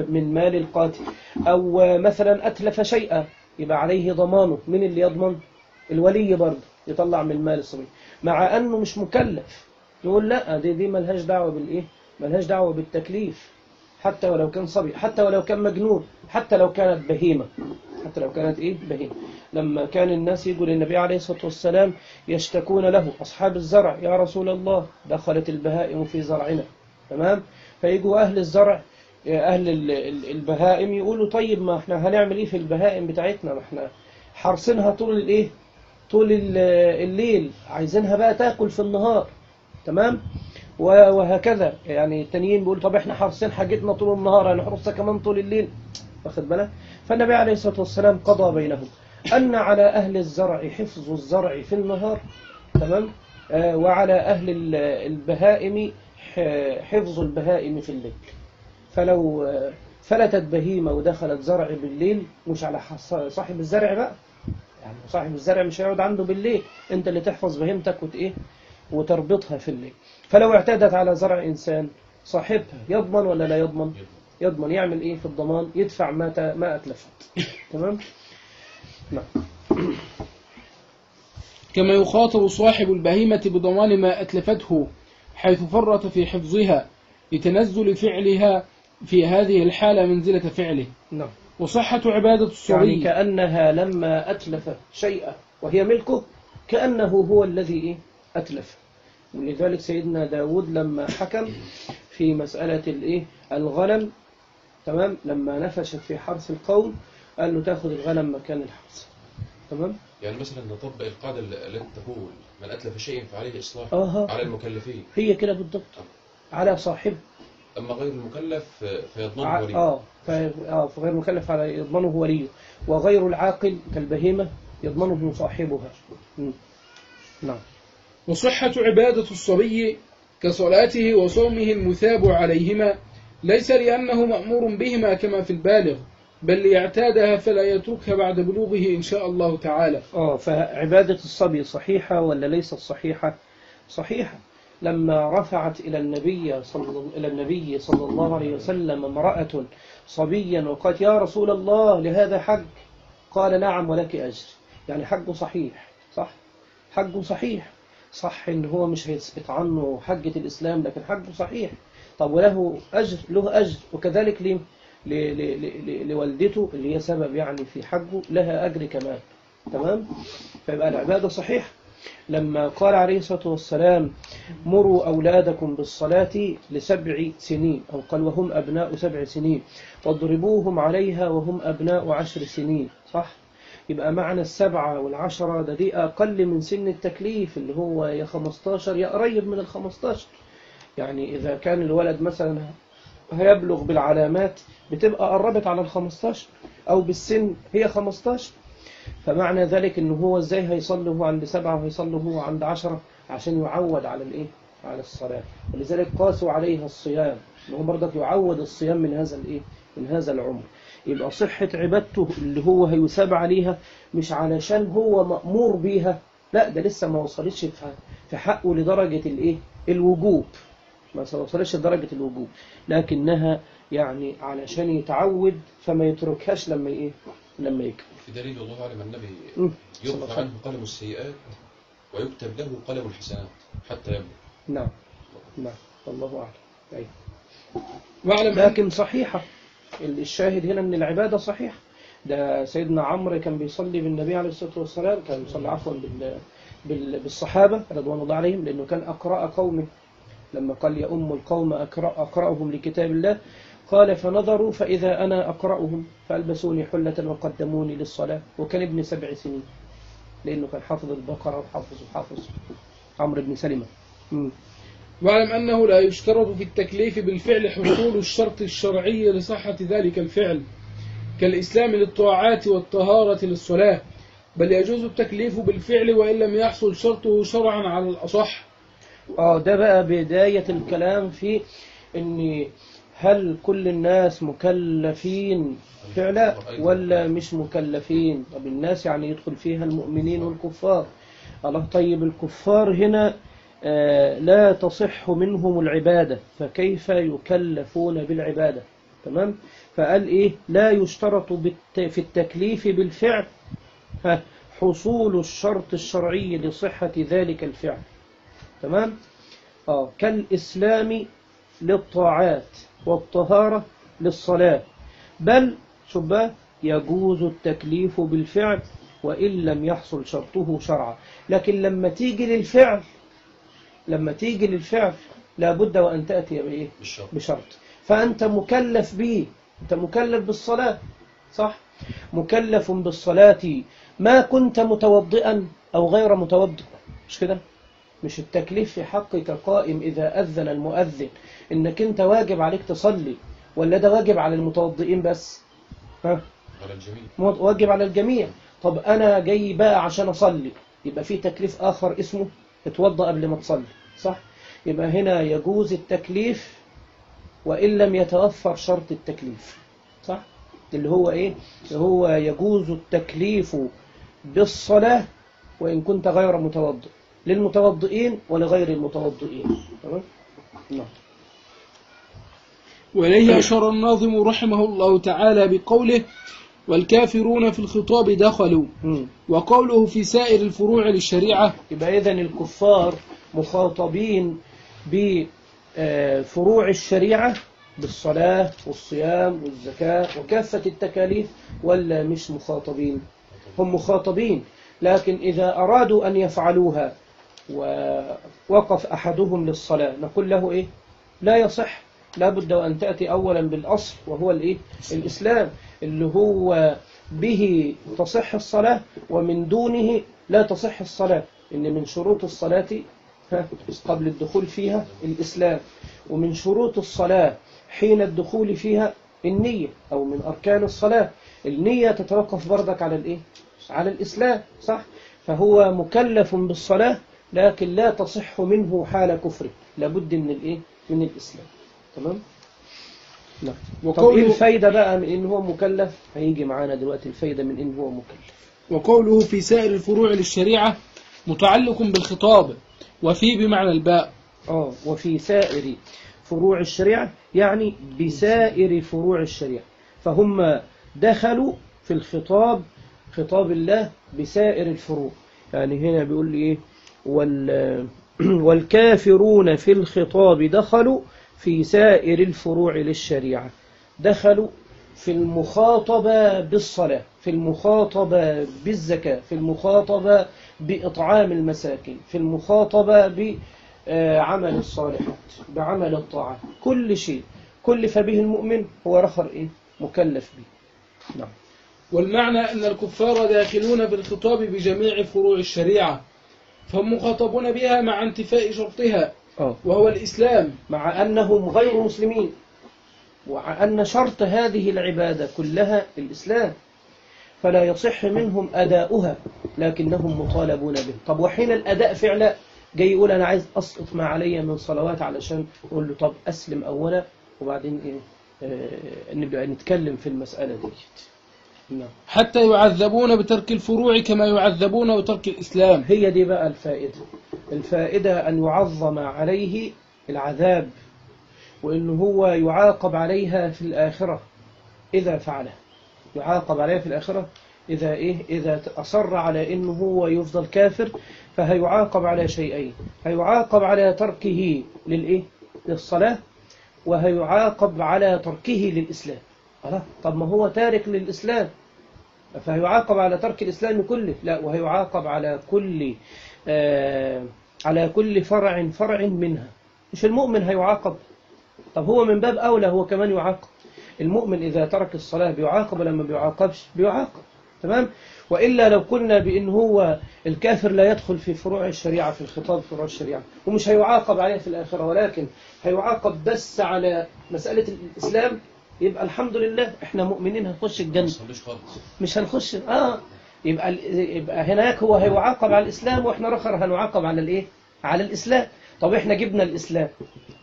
S1: من مال القاتل. أو مثلا أتلف شيئا يبقى عليه ضمانه، من اللي يضمن؟ الولي برضه يطلع من مال الصبي، مع أنه مش مكلف. يقول لا، دي دي ملهاش دعوة بالإيه ملهاش دعوة بالتكليف، حتى ولو كان صبي، حتى ولو كان مجنون، حتى لو كانت بهيمة، حتى لو كانت إيه بهيمة. لما كان الناس يقول للنبي عليه الصلاة والسلام يشتكون له أصحاب الزرع: يا رسول الله دخلت البهائم في زرعنا. تمام، فيجوا أهل الزرع أهل البهائم يقولوا: طيب ما احنا هنعمل إيه في البهائم بتاعتنا؟ ما احنا حرصينها طول الإيه طول الليل، عايزينها بقى تاكل في النهار. تمام، وهكذا يعني التانيين بيقول: طب احنا حارسين حاجتنا طول النهار، هنحرسها كمان طول الليل، واخد بالك؟ فالنبي عليه الصلاة والسلام قضى بينهم أن على أهل الزرع حفظ الزرع في النهار، تمام، آه وعلى أهل البهائم حفظ البهائم في الليل. فلو فلتت بهيمة ودخلت زرع بالليل، مش على صاحب الزرع بقى، يعني صاحب الزرع مش هيقعد عنده بالليل، انت اللي تحفظ بهيمتك وت ايه وتربطها في الليل. فلو اعتدت على زرع إنسان، صاحبها يضمن ولا لا يضمن؟ يضمن. يعمل ايه في الضمان؟ يدفع ما ما اتلفت. تمام. نعم.
S2: كما يخاطب صاحب البهيمة بضمان ما أتلفته حيث فرط في حفظها لتنزل فعلها في هذه الحالة منزلة فعله.
S1: نعم.
S2: وصحة عبادة الصبي
S1: يعني كأنها لما أتلف شيئا وهي ملكه كأنه هو الذي إيه أتلف. ولذلك سيدنا داود لما حكم في مسألة الإيه الغنم، تمام، لما نفشت في حرث القوم قال له تأخذ الغنم مكان الحرث. تمام،
S3: يعني مثلا نطبق القاعدة التي تقول: من أتلف شيء فعليه إصلاح
S1: آه.
S3: على المكلفين.
S1: هي كده بالضبط، على صاحبه.
S3: أما غير المكلف فيضمنه
S1: ع...
S3: وليه.
S1: آه آه فغير المكلف على يضمنه وليه، وغير العاقل كالبهيمة يضمنه صاحبها. م. نعم.
S2: وصحة عبادة الصبي كصلاته وصومه المثاب عليهما ليس لأنه مأمور بهما كما في البالغ، بل ليعتادها فلا يتركها بعد بلوغه إن شاء الله تعالى.
S1: آه فعبادة الصبي صحيحة ولا ليست صحيحة؟ صحيحة. لما رفعت إلى النبي صلى إلى النبي صلى الله عليه وسلم امرأة صبيا وقالت يا رسول الله لهذا حج، قال نعم ولك أجر. يعني حجه صحيح، صح؟ حجه صحيح، صح إن هو مش هيثبت عنه حجة الإسلام لكن حجه صحيح. طب وله أجر، له أجر، وكذلك ليه؟ لوالدته اللي هي سبب يعني في حجه لها أجر كمان. تمام؟ فيبقى العبادة صحيح. لما قال عليه الصلاة والسلام مروا أولادكم بالصلاة لسبع سنين، أو قال وهم أبناء سبع سنين، واضربوهم عليها وهم أبناء عشر سنين، صح؟ يبقى معنى السبعة والعشرة ده دي أقل من سن التكليف اللي هو يا خمستاشر يا قريب من الخمستاشر. يعني إذا كان الولد مثلا هيبلغ بالعلامات بتبقى قربت على الخمستاشر، أو بالسن هي خمستاشر. فمعنى ذلك إنه هو إزاي هيصلي هو عند سبعة وهيصلي هو عند عشرة عشان يعود على الإيه؟ على الصلاة. ولذلك قاسوا عليها الصيام، إنه برضك يعود الصيام من هذا الإيه؟ من هذا العمر. يبقى صحة عبادته اللي هو هيثاب عليها مش علشان هو مأمور بيها، لا ده لسه ما وصلتش في حقه لدرجة الإيه؟ الوجوب، ما وصلتش لدرجة الوجوب، لكنها يعني علشان يتعود فما يتركهاش لما إيه؟ لما يكبر.
S3: في دليل الله أعلم النبي يرفع عنه قلم السيئات ويكتب له قلم الحسنات حتى يبلغ.
S1: نعم نعم الله أعلم. أي.
S2: واعلم
S1: لكن صحيحة، الشاهد هنا من العبادة صحيح. ده سيدنا عمرو كان بيصلي بالنبي عليه الصلاة والسلام، كان بيصلي عفوا بال... بال... بالصحابة رضوان الله عليهم، لأنه كان أقرأ قومه. لما قال يا أم القوم أقرأ أقرأهم لكتاب الله، قال فنظروا فإذا أنا أقرأهم فألبسوني حلة وقدموني للصلاة، وكان ابن سبع سنين لأنه كان حافظ البقرة وحافظ وحافظ عمرو بن سلمة. م.
S2: واعلم أنه لا يشترط في التكليف بالفعل حصول الشرط الشرعي لصحة ذلك الفعل كالإسلام للطاعات والطهارة للصلاة، بل يجوز التكليف بالفعل وإن لم يحصل شرطه شرعا على الأصح.
S1: آه ده بقى بداية الكلام في إن هل كل الناس مكلفين فعلا ولا مش مكلفين؟ طب الناس يعني يدخل فيها المؤمنين والكفار. الله طيب الكفار هنا آه لا تصح منهم العبادة، فكيف يكلفون بالعبادة؟ تمام؟ فقال إيه؟ لا يشترط في التكليف بالفعل حصول الشرط الشرعي لصحة ذلك الفعل. تمام؟ آه كالإسلام للطاعات والطهارة للصلاة، بل شبه يجوز التكليف بالفعل وإن لم يحصل شرطه شرعا. لكن لما تيجي للفعل لما تيجي للفعل لابد وأن تأتي بإيه؟ بشرط. فأنت مكلف به، أنت مكلف بالصلاة، صح؟ مكلف بالصلاة ما كنت متوضئا أو غير متوضئ، مش كده؟ مش التكليف في حقك قائم إذا أذن المؤذن إنك أنت واجب عليك تصلي، ولا ده واجب على المتوضئين بس؟ ها؟
S3: على الجميع.
S1: واجب على الجميع. طب أنا جاي بقى عشان أصلي، يبقى في تكليف آخر اسمه اتوضأ قبل ما تصلي، صح؟ يبقى هنا يجوز التكليف وإن لم يتوفر شرط التكليف، صح؟ اللي هو إيه؟ اللي هو يجوز التكليف بالصلاة وإن كنت غير متوضئ، للمتوضئين ولغير المتوضئين. تمام؟ نعم.
S2: وإليه أشار الناظم رحمه الله تعالى بقوله والكافرون في الخطاب دخلوا،
S1: م.
S2: وقوله في سائر الفروع للشريعة.
S1: يبقى إذن الكفار مخاطبين بفروع الشريعة بالصلاة والصيام والزكاة وكافة التكاليف، ولا مش مخاطبين؟ هم مخاطبين، لكن إذا أرادوا أن يفعلوها ووقف أحدهم للصلاة نقول له إيه؟ لا يصح، لا بد أن تأتي أولا بالأصل وهو الإيه؟ الإسلام، اللي هو به تصح الصلاة ومن دونه لا تصح الصلاة. إن من شروط الصلاة قبل الدخول فيها الإسلام، ومن شروط الصلاة حين الدخول فيها النية، أو من أركان الصلاة النية تتوقف بردك على الإيه؟ على الإسلام، صح؟ فهو مكلف بالصلاة لكن لا تصح منه حال كفره، لابد من الإيه؟ من الإسلام. تمام؟ نعم. طب إيه الفايدة بقى من إن هو مكلف؟ هيجي معانا دلوقتي الفايدة من إن هو مكلف.
S2: وقوله في سائر الفروع للشريعة متعلق بالخطاب، وفي بمعنى الباء.
S1: آه وفي سائر فروع الشريعة يعني بسائر فروع الشريعة، فهم دخلوا في الخطاب، خطاب الله بسائر الفروع. يعني هنا بيقول لي إيه؟ وال والكافرون في الخطاب دخلوا في سائر الفروع للشريعة، دخلوا في المخاطبة بالصلاة، في المخاطبة بالزكاة، في المخاطبة بإطعام المساكين، في المخاطبة بعمل الصالحات، بعمل الطاعات، كل شيء كلف به المؤمن هو رخر إيه؟ مكلف به. نعم.
S2: والمعنى أن الكفار داخلون في الخطاب بجميع فروع الشريعة، فهم مخاطبون بها مع انتفاء شرطها وهو الإسلام،
S1: مع أنهم غير مسلمين، وأن شرط هذه العبادة كلها الإسلام، فلا يصح منهم أداؤها لكنهم مطالبون به. طب وحين الأداء فعلا جاي يقول أنا عايز أسقط ما علي من صلوات، علشان أقول له طب أسلم أولا وبعدين إيه آه نبدأ نتكلم في المسألة دي. نعم.
S2: حتى يعذبون بترك الفروع كما يعذبون بترك الإسلام.
S1: هي دي بقى الفائدة، الفائدة أن يعظم عليه العذاب، وإنه هو يعاقب عليها في الآخرة إذا فعله، يعاقب عليها في الآخرة إذا إيه إذا أصر على إنه هو يفضل كافر، فهيعاقب على شيئين، هيعاقب على تركه للإيه للصلاة، وهيعاقب على تركه للإسلام. طب ما هو تارك للإسلام، فهيعاقب على ترك الإسلام كله؟ لا، وهيعاقب على كل آه على كل فرع فرع منها. مش المؤمن هيعاقب؟ طب هو من باب أولى هو كمان يعاقب. المؤمن إذا ترك الصلاة بيعاقب لما بيعاقبش بيعاقب. تمام؟ وإلا لو قلنا بأن هو الكافر لا يدخل في فروع الشريعة، في الخطاب فروع الشريعة، ومش هيعاقب عليه في الآخرة، ولكن هيعاقب بس على مسألة الإسلام، يبقى الحمد لله احنا مؤمنين هنخش الجنة، مش هنخش اه يبقى يبقى هناك هو هيعاقب على الإسلام، واحنا رخر هنعاقب على الايه على الإسلام. طب احنا جبنا الإسلام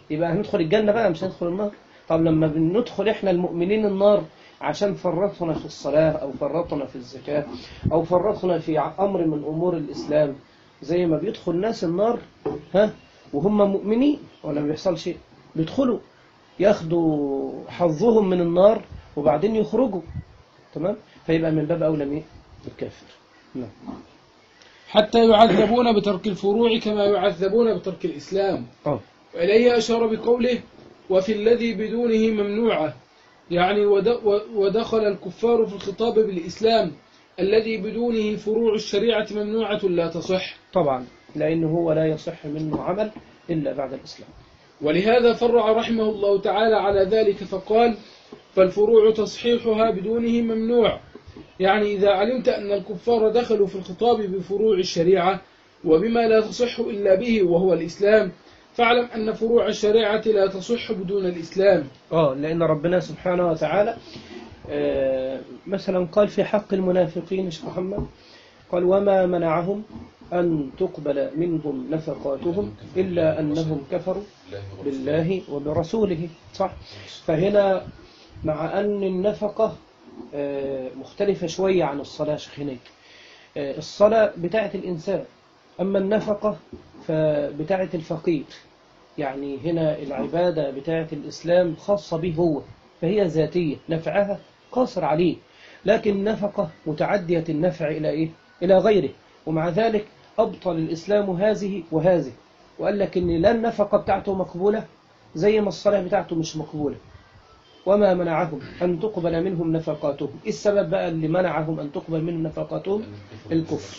S1: يبقى هندخل الجنة بقى، مش هندخل النار. طب لما بندخل احنا المؤمنين النار عشان فرطنا في الصلاة أو فرطنا في الزكاة أو فرطنا في أمر من أمور الإسلام، زي ما بيدخل ناس النار ها وهم مؤمنين ولا بيحصل شيء، بيدخلوا ياخدوا حظهم من النار وبعدين يخرجوا. تمام؟ فيبقى من باب أولى مين؟ الكافر. نعم.
S2: حتى يعذبون بترك الفروع كما يعذبون بترك الإسلام.
S1: أوه.
S2: وإليه أشار بقوله وفي الذي بدونه ممنوعة، يعني ودخل الكفار في الخطاب بالإسلام الذي بدونه فروع الشريعة ممنوعة لا تصح.
S1: طبعا، لأنه هو لا يصح منه عمل إلا بعد الإسلام.
S2: ولهذا فرع رحمه الله تعالى على ذلك فقال فالفروع تصحيحها بدونه ممنوع، يعني إذا علمت أن الكفار دخلوا في الخطاب بفروع الشريعة وبما لا تصح إلا به وهو الإسلام، فاعلم أن فروع الشريعة لا تصح بدون الإسلام.
S1: آه لأن ربنا سبحانه وتعالى آه مثلا قال في حق المنافقين يا شيخ محمد، قال وما منعهم أن تقبل منهم نفقاتهم إلا أنهم كفروا بالله وبرسوله. صح؟ فهنا مع أن النفقة آه مختلفة شوية عن الصلاة شيخ، آه الصلاة بتاعة الإنسان، أما النفقة فبتاعة الفقير. يعني هنا العبادة بتاعة الإسلام خاصة به هو، فهي ذاتية نفعها قاصر عليه، لكن النفقة متعدية النفع إلى إيه؟ إلى غيره. ومع ذلك أبطل الإسلام هذه وهذه، وقال لك إن لا النفقة بتاعته مقبولة زي ما الصلاة بتاعته مش مقبولة. وما منعهم أن تقبل منهم نفقاتهم، إيه السبب بقى اللي منعهم أن تقبل منهم نفقاتهم؟ الكفر.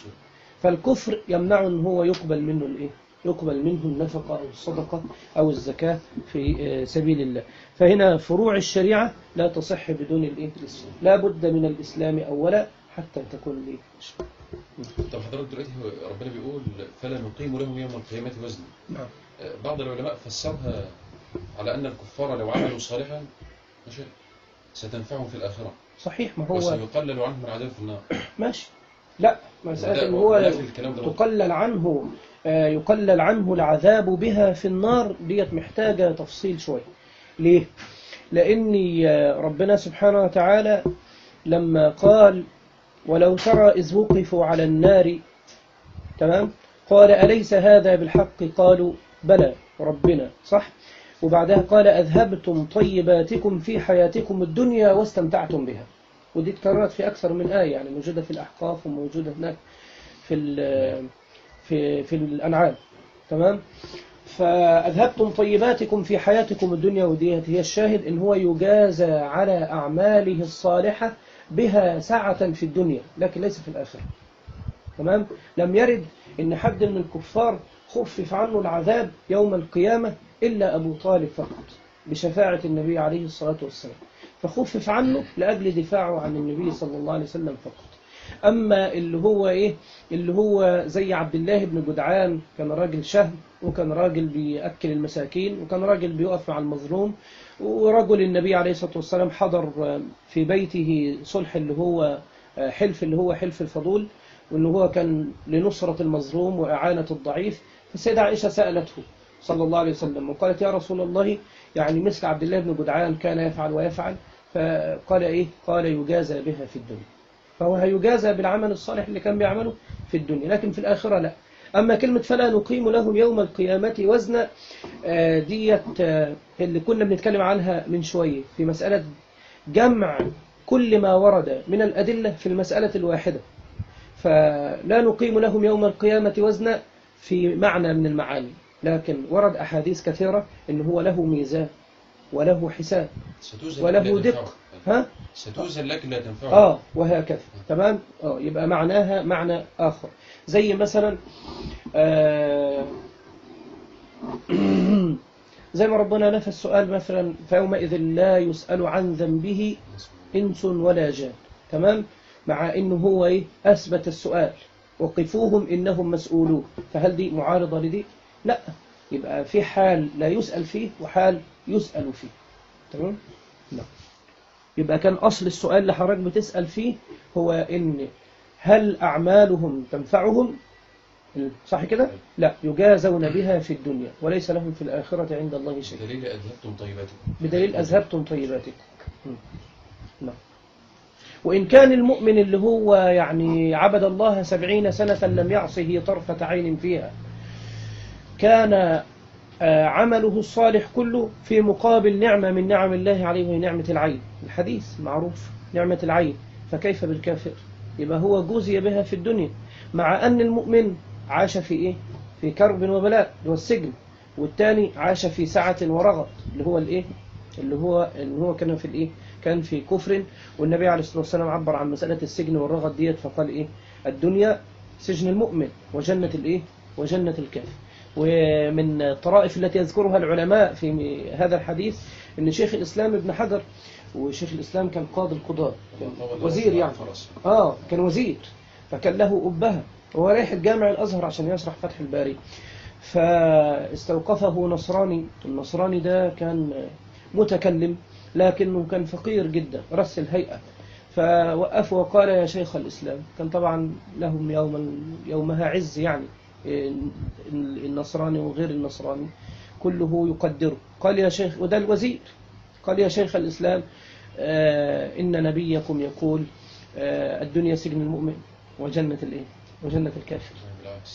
S1: فالكفر يمنع أن هو يقبل منه الإيه؟ يقبل منه النفقة أو الصدقة أو الزكاة في سبيل الله. فهنا فروع الشريعة لا تصح بدون الإيه؟ الإسلام، لا بد من الإسلام أولا حتى تكون الإيه؟
S3: طب حضرتك دلوقتي ربنا بيقول فلا نقيم لهم يوم القيامة وزنا.
S1: نعم.
S3: بعض العلماء فسرها على أن الكفار لو عملوا صالحا ماشي ستنفعهم في الآخرة.
S1: صحيح، ما هو
S3: وسيقلل عنهم العذاب في النار.
S1: ماشي، لا، مسألة إن هو تقلل عنه يقلل عنه العذاب بها في النار ديت محتاجة تفصيل شوية. ليه؟ لأن ربنا سبحانه وتعالى لما قال ولو ترى إذ وقفوا على النار، تمام، قال أليس هذا بالحق؟ قالوا بلى ربنا، صح؟ وبعدها قال أذهبتم طيباتكم في حياتكم الدنيا واستمتعتم بها. ودي اتكررت في أكثر من آية، يعني موجودة في الأحقاف وموجودة هناك في في في الأنعام، تمام. فأذهبتم طيباتكم في حياتكم الدنيا، ودي هي الشاهد إن هو يجازى على أعماله الصالحة بها ساعة في الدنيا لكن ليس في الآخرة، تمام. لم يرد إن حد من الكفار خفف عنه العذاب يوم القيامة إلا أبو طالب فقط بشفاعة النبي عليه الصلاة والسلام، فخفف عنه لأجل دفاعه عن النبي صلى الله عليه وسلم فقط. أما اللي هو إيه اللي هو زي عبد الله بن جدعان، كان راجل شهم، وكان راجل بيأكل المساكين، وكان راجل بيقف مع المظلوم، ورجل النبي عليه الصلاة والسلام حضر في بيته صلح اللي هو حلف اللي هو حلف الفضول، وإنه هو كان لنصرة المظلوم وإعانة الضعيف. فالسيدة عائشة سألته صلى الله عليه وسلم وقالت يا رسول الله، يعني مثل عبد الله بن جدعان كان يفعل ويفعل، فقال إيه؟ قال يجازى بها في الدنيا. فهو هيجازى بالعمل الصالح اللي كان بيعمله في الدنيا، لكن في الآخرة لا. أما كلمة فلا نقيم لهم يوم القيامة وزنا، ديت اللي كنا بنتكلم عنها من شوية في مسألة جمع كل ما ورد من الأدلة في المسألة الواحدة. فلا نقيم لهم يوم القيامة وزنا في معنى من المعاني، لكن ورد أحاديث كثيرة إن هو له ميزان وله حساب وله دق، ها؟
S3: ستوزن لكن لا تنفعه.
S1: آه وهكذا، تمام. آه يبقى معناها معنى آخر، زي مثلا آه زي ما ربنا نفى السؤال مثلا فيومئذ لا يسأل عن ذنبه إنس ولا جان، تمام، مع إنه هو إيه؟ أثبت السؤال وقفوهم إنهم مسؤولون. فهل دي معارضة لدي؟ لا، يبقى في حال لا يسأل فيه وحال يسأل فيه، تمام. لا، يبقى كان أصل السؤال اللي حضرتك بتسأل فيه هو إن هل أعمالهم تنفعهم؟ صح كده؟ لا، يجازون بها في الدنيا وليس لهم في الآخرة عند الله شيء.
S3: بدليل أذهبتم طيباتكم.
S1: بدليل أذهبتم طيباتكم. لا. وإن كان المؤمن اللي هو يعني عبد الله سبعين سنة لم يعصه طرفة عين فيها، كان عمله الصالح كله في مقابل نعمة من نعم الله عليه وهي نعمة العين. الحديث معروف، نعمة العين، فكيف بالكافر؟ يبقى هو جوزي بها في الدنيا، مع أن المؤمن عاش في إيه؟ في كرب وبلاء اللي هو السجن، والتاني عاش في سعة ورغد اللي هو الإيه؟ اللي هو اللي هو كان في الإيه؟ كان في كفر. والنبي عليه الصلاة والسلام عبر عن مسألة السجن والرغد ديت فقال إيه؟ الدنيا سجن المؤمن وجنة الإيه؟ وجنة الكافر. ومن الطرائف التي يذكرها العلماء في هذا الحديث أن شيخ الإسلام ابن حجر، وشيخ الإسلام كان قاضي القضاة، وزير يعني، آه كان وزير، فكان له أبها، وهو رايح الجامع الأزهر عشان يشرح فتح الباري، فاستوقفه نصراني. النصراني ده كان متكلم لكنه كان فقير جدا رأس الهيئة، فوقفه وقال يا شيخ الإسلام. كان طبعا لهم يوم يومها عز، يعني النصراني وغير النصراني كله يقدره. قال يا شيخ، وده الوزير، قال يا شيخ الإسلام آه إن نبيكم يقول آه الدنيا سجن المؤمن وجنة الإيه؟ وجنة الكافر،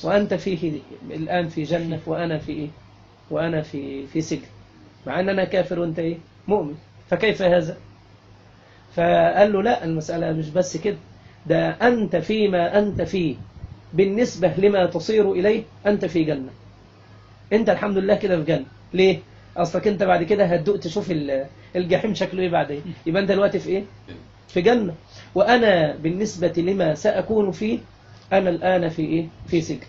S1: وأنت فيه الآن في جنة وأنا في إيه؟ وأنا في في سجن، مع أن أنا كافر وأنت إيه؟ مؤمن، فكيف هذا؟ فقال له لا، المسألة مش بس كده، ده أنت فيما أنت فيه بالنسبة لما تصير إليه أنت في جنة. أنت الحمد لله كده في جنة. ليه؟ أصلك أنت بعد كده هتدوق تشوف الجحيم شكله إيه بعدين، يبقى أنت دلوقتي في إيه؟ في جنة. وأنا بالنسبة لما سأكون فيه أنا الآن في إيه؟ في سجن.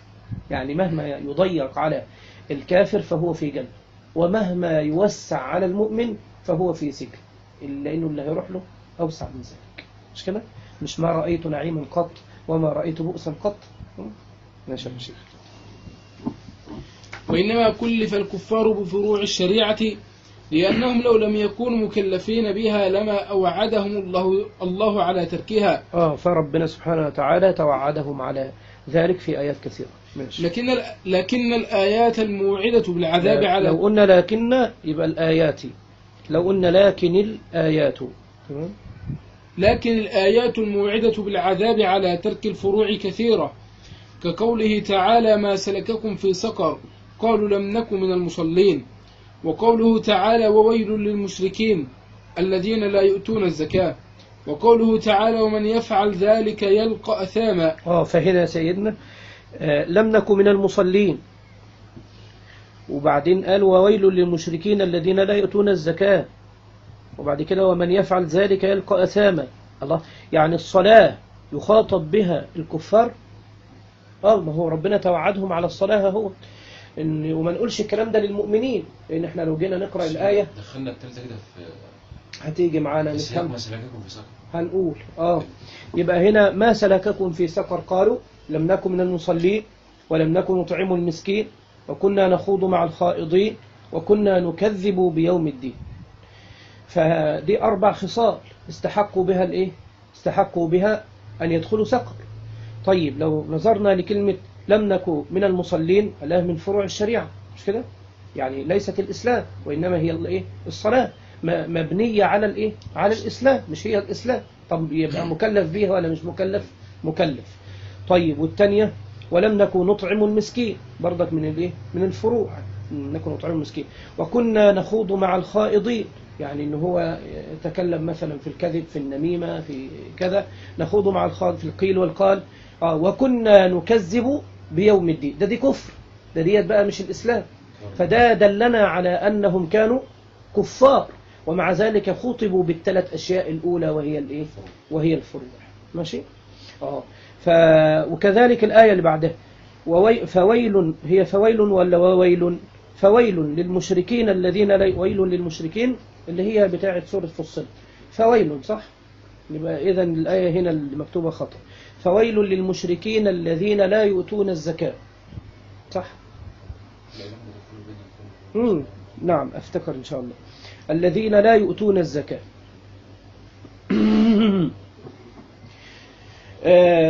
S1: يعني مهما يضيق على الكافر فهو في جنة، ومهما يوسع على المؤمن فهو في سجن، لأنه اللي هيروح له أوسع من ذلك. مش كده؟ مش ما رأيت نعيما قط وما رأيت بؤسا قط. ماشي يا شيخ.
S2: وإنما كلف الكفار بفروع الشريعة لأنهم لو لم يكونوا مكلفين بها لما أوعدهم الله الله على تركها.
S1: آه فربنا سبحانه وتعالى توعدهم على ذلك في آيات كثيرة. ماشي.
S2: لكن لكن الآيات الموعدة بالعذاب على،
S1: لو قلنا لكن يبقى الآيات، لو قلنا لكن الآيات، تمام.
S2: لكن الآيات الموعدة بالعذاب على ترك الفروع كثيرة، كقوله تعالى ما سلككم في سقر قالوا لم نكن من المصلين، وقوله تعالى وويل للمشركين الذين لا يؤتون الزكاة، وقوله تعالى ومن يفعل ذلك يلقى أثاما.
S1: آه فهنا سيدنا آه لم نكن من المصلين، وبعدين قال وويل للمشركين الذين لا يؤتون الزكاة، وبعد كده ومن يفعل ذلك يلقى أثاما. الله، يعني الصلاة يخاطب بها الكفار؟ اه ما هو ربنا توعدهم على الصلاة هو إن، وما نقولش الكلام ده للمؤمنين، لأن احنا لو جينا نقرأ الآية
S3: دخلنا الثالثة كده في
S1: هتيجي معانا نفهم.
S3: ما سلككم في سقر
S1: هنقول اه يبقى هنا ما سلككم في سقر قالوا لم نكن من المصلين ولم نكن نطعم المسكين وكنا نخوض مع الخائضين وكنا نكذب بيوم الدين. فدي أربع خصال استحقوا بها الإيه؟ استحقوا بها أن يدخلوا سقر. طيب لو نظرنا لكلمة لم نكن من المصلين، الله من فروع الشريعة مش كده؟ يعني ليست الإسلام وإنما هي الإيه؟ الصلاة مبنية على الإيه؟ على الإسلام، مش هي الإسلام. طب يبقى مكلف بيها ولا مش مكلف؟ مكلف. طيب والثانية ولم نكن نطعم المسكين، برضك من الإيه؟ من الفروع، نكن نطعم المسكين. وكنا نخوض مع الخائضين، يعني إن هو يتكلم مثلا في الكذب في النميمة في كذا، نخوض مع الخائض في القيل والقال. آه وكنا نكذب بيوم الدين، ده دي كفر، ده ديت بقى مش الإسلام. فده دلنا على أنهم كانوا كفار، ومع ذلك خطبوا بالثلاث أشياء الأولى وهي الإيه؟ وهي الفروع. ماشي؟ آه ف وكذلك الآية اللي بعدها ووي... فويل، هي فويل ولا وويل؟ فويل للمشركين الذين لا ويل للمشركين اللي هي بتاعة سورة فصل، فويل صح؟ يبقى إذن الآية هنا المكتوبة خطأ. فويل للمشركين الذين لا يؤتون الزكاة، صح؟ مم. نعم أفتكر إن شاء الله الذين لا يؤتون الزكاة.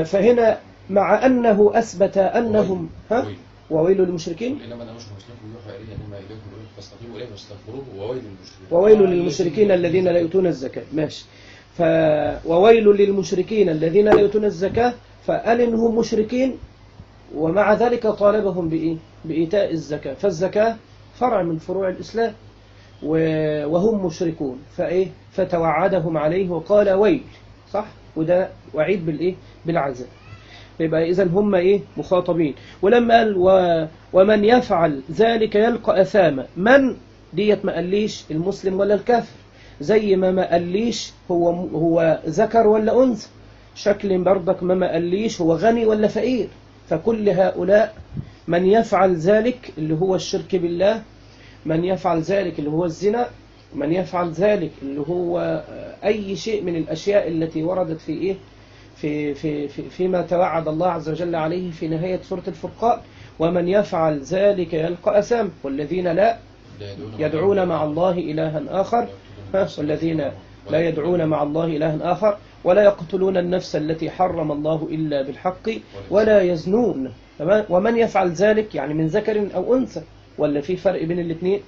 S1: فهنا مع أنه أثبت أنهم ها وويل للمشركين
S3: إنما أنا أشهر مسلمكم يوحى إليه أنما إليكم فاستقيموا إليه واستغفروه وويل للمشركين
S1: وويل للمشركين الذين لا يؤتون الزكاة. ماشي. ف وويل للمشركين الذين لا يؤتون الزكاة، فقال إنهم مشركين ومع ذلك طالبهم بإيه؟ بإيتاء الزكاة. فالزكاة فرع من فروع الإسلام وهم مشركون، فإيه؟ فتوعدهم عليه وقال ويل، صح؟ وده وعيد بالإيه؟ بالعذاب. يبقى إذن هم إيه؟ مخاطبين. ولما قال و... ومن يفعل ذلك يلقى أثاما، من ديت ما قاليش المسلم ولا الكافر، زي ما ما قاليش هو هو ذكر ولا أنثى، شكل برضك ما ما قاليش هو غني ولا فقير. فكل هؤلاء من يفعل ذلك اللي هو الشرك بالله، من يفعل ذلك اللي هو الزنا، من يفعل ذلك اللي هو أي شيء من الأشياء التي وردت في إيه؟ في في في فيما توعد الله عز وجل عليه في نهاية سورة الفرقان، ومن يفعل ذلك يلقى أثام، والذين لا يدعون مع الله إلها آخر، والذين لا يدعون مع الله إلها آخر ولا يقتلون النفس التي حرم الله إلا بالحق ولا يزنون. تمام؟ ومن يفعل ذلك يعني من ذكر أو أنثى، ولا في فرق بين الاثنين؟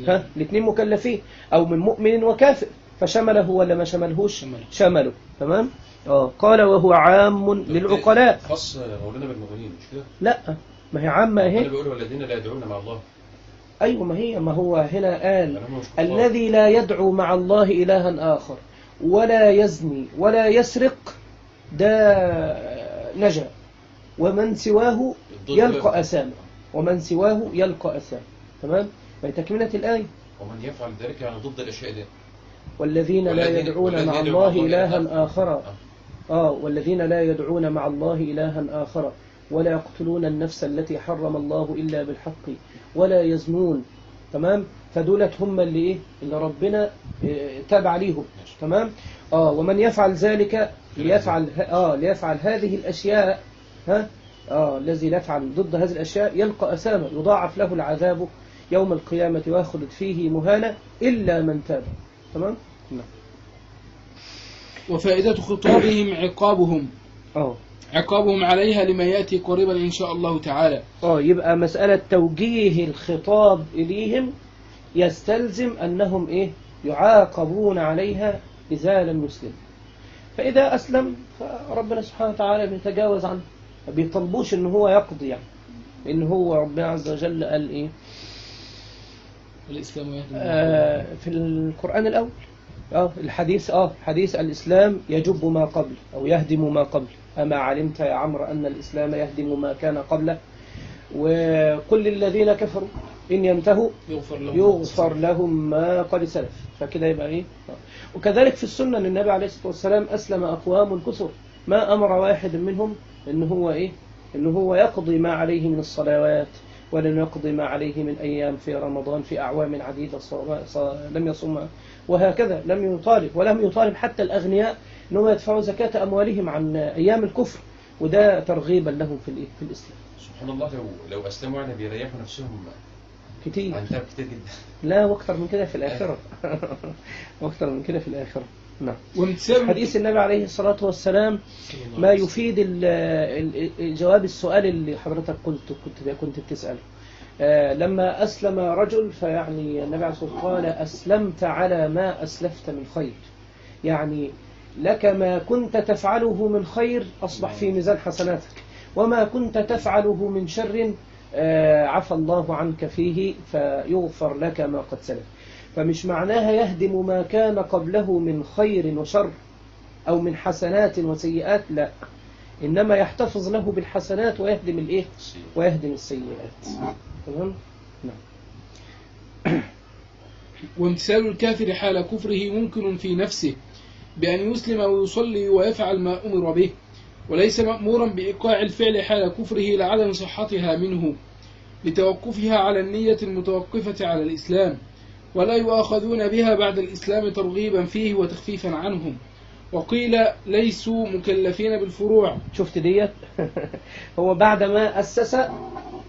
S1: ها الاثنين مكلفين، أو من مؤمن وكافر، فشمله ولا ما شملهوش؟ شمله. تمام؟ اه قال وهو عام للعقلاء.
S3: خاص مولانا بالمؤمنين مش كده؟
S1: لا ما هي عامة اهي.
S3: انا بقول والذين لا يدعون مع الله.
S1: ايوه ما هي ما هو هنا قال الذي لا يدعو مع الله إلها آخر ولا يزني ولا يسرق ده نجا، ومن سواه يلقى أثام، ومن سواه يلقى أثام. تمام؟ فتكملة الآية
S3: ومن يفعل ذلك يعني ضد الأشياء دي.
S1: والذين لا يدعون مع الله إلها آخر آه والذين لا يدعون مع الله إلها آخر ولا يقتلون النفس التي حرم الله إلا بالحق ولا يزنون. تمام؟ فدولت هم اللي إيه؟ اللي ربنا إيه تابع ليهم. تمام؟ آه ومن يفعل ذلك ليفعل آه ليفعل هذه الأشياء ها آه الذي لا يفعل ضد هذه الأشياء يلقى أثاما، يضاعف له العذاب يوم القيامة ويخلد فيه مهانا إلا من تاب. تمام؟ نعم.
S2: وفائدة خطابهم عقابهم
S1: اه
S2: عقابهم عليها لما يأتي قريبا إن شاء الله تعالى.
S1: اه يبقى مسألة توجيه الخطاب إليهم يستلزم أنهم إيه يعاقبون عليها إذا لم يسلم. فإذا أسلم فربنا سبحانه وتعالى بيتجاوز عنه، ما بيطلبوش إن هو يقضي، يعني إن هو ربنا عز وجل قال إيه
S2: الإسلام يهدم
S1: آه في القرآن الأول اه الحديث اه حديث الإسلام يجب ما قبل أو يهدم ما قبل. أما علمت يا عمرو أن الإسلام يهدم ما كان قبله، وقل للذين كفروا إن ينتهوا
S2: يغفر لهم,
S1: يغفر لهم ما قد سلف. فكده يبقى إيه. وكذلك في السنة أن النبي عليه الصلاة والسلام أسلم أقوام كثر ما أمر واحد منهم إن هو إيه إن هو يقضي ما عليه من الصلوات، ولن يقضي ما عليه من أيام في رمضان في أعوام عديدة لم يصومها، وهكذا لم يطالب ولم يطالب حتى الأغنياء أنهم يدفعوا زكاة أموالهم عن أيام الكفر، وده ترغيبا لهم في في الإسلام.
S3: سبحان الله، لو لو أسلموا يعني بيريحوا نفسهم
S1: كتير
S3: عن تعب كتير جدا.
S1: لا، واكثر من كده في الآخرة واكثر من كده في الآخرة. نعم.
S2: وامتثال
S1: حديث النبي عليه الصلاة والسلام ما يفيد الجواب السؤال اللي حضرتك قلت كنت كنت بتسأله. آه لما أسلم رجل فيعني النبي عليه الصلاة والسلام قال أسلمت على ما أسلفت من خير، يعني لك ما كنت تفعله من خير أصبح في ميزان حسناتك، وما كنت تفعله من شر آه عفى الله عنك فيه فيغفر لك ما قد سلف. فمش معناها يهدم ما كان قبله من خير وشر أو من حسنات وسيئات، لا، إنما يحتفظ له بالحسنات ويهدم الإيه ويهدم السيئات. تمام؟ نعم.
S2: وامتثال الكافر حال كفره ممكن في نفسه بأن يسلم ويصلي ويفعل ما أمر به، وليس مأمورا بإيقاع الفعل حال كفره لعدم صحتها منه لتوقفها على النية المتوقفة على الإسلام، ولا يؤاخذون بها بعد الإسلام ترغيبا فيه وتخفيفا عنهم. وقيل ليسوا مكلفين بالفروع.
S1: شفت ديت هو بعد ما أسس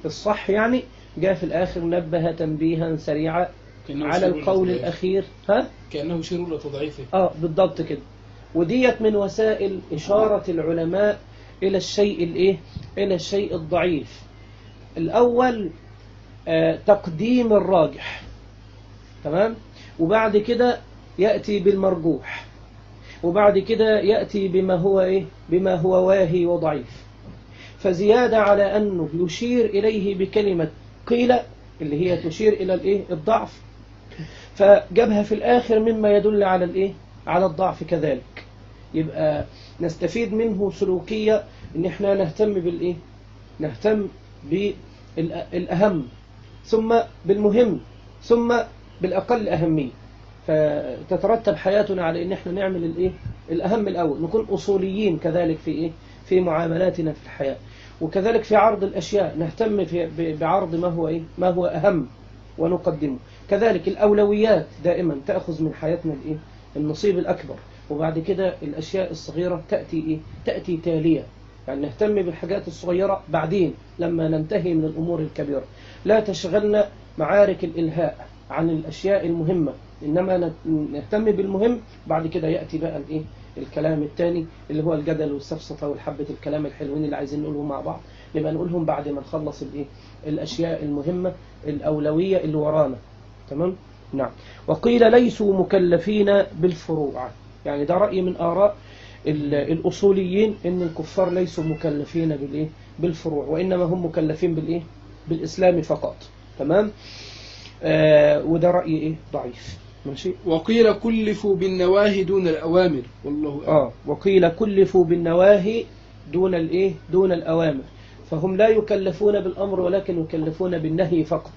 S1: الصح يعني جاء في الآخر نبه تنبيها سريعا على القول الأخير. ها؟
S2: كأنه شر لتضعيفه.
S1: آه بالضبط كده. وديت من وسائل إشارة العلماء إلى الشيء الإيه؟ إلى الشيء الضعيف. الأول آه تقديم الراجح، تمام، وبعد كده يأتي بالمرجوح، وبعد كده يأتي بما هو إيه؟ بما هو واهي وضعيف. فزيادة على أنه يشير إليه بكلمة قيل اللي هي تشير إلى الإيه؟ الضعف، فجابها في الآخر مما يدل على الإيه؟ على الضعف كذلك. يبقى نستفيد منه سلوكية إن إحنا نهتم بالإيه؟ نهتم بالأهم ثم بالمهم ثم بالأقل أهمية، فتترتب حياتنا على إن إحنا نعمل الإيه؟ الأهم الأول، نكون أصوليين كذلك في إيه؟ في معاملاتنا في الحياة، وكذلك في عرض الأشياء نهتم في بعرض ما هو إيه؟ ما هو أهم ونقدمه. كذلك الأولويات دائما تأخذ من حياتنا الإيه؟ النصيب الأكبر، وبعد كده الأشياء الصغيرة تأتي إيه؟ تأتي تالية، يعني نهتم بالحاجات الصغيرة بعدين لما ننتهي من الأمور الكبيرة. لا تشغلنا معارك الإلهاء عن الأشياء المهمة، إنما نهتم بالمهم، بعد كده يأتي بقى الإيه؟ الكلام الثاني اللي هو الجدل والسفسطة والحبة الكلام الحلوين اللي عايزين نقولهم مع بعض، نبقى نقولهم بعد ما نخلص الإيه؟ الأشياء المهمة الأولوية اللي ورانا. تمام؟ نعم. وقيل ليسوا مكلفين بالفروع، يعني ده رأي من آراء الأصوليين إن الكفار ليسوا مكلفين بالإيه؟ بالفروع، وإنما هم مكلفين بالإيه؟ بالإسلام فقط. تمام؟ آه وده رأي إيه؟ ضعيف. ماشي.
S2: وقيل كلفوا بالنواهي دون الأوامر، والله أعلم.
S1: آه وقيل كلفوا بالنواهي دون الإيه؟ دون الأوامر، فهم لا يكلفون بالأمر ولكن يكلفون بالنهي فقط،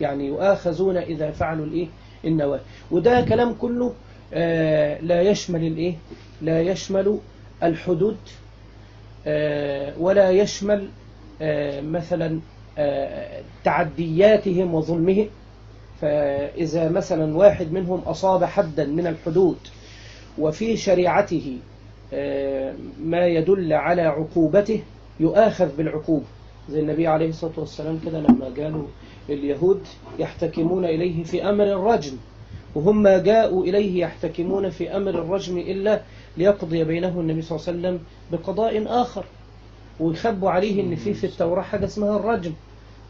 S1: يعني يؤاخذون إذا فعلوا الإيه؟ النواهي. وده كلام كله آه لا يشمل الإيه؟ لا يشمل الحدود آه ولا يشمل آه مثلا آه تعدياتهم وظلمهم. فإذا مثلا واحد منهم أصاب حدا من الحدود وفي شريعته آه ما يدل على عقوبته يؤاخذ بالعقوبة، زي النبي عليه الصلاة والسلام كده لما قالوا اليهود يحتكمون إليه في أمر الرجم، وهم جاءوا إليه يحتكمون في أمر الرجم إلا ليقضي بينه النبي صلى الله عليه وسلم بقضاء آخر، ويخبوا عليه إن في في التوراة حاجة اسمها الرجم.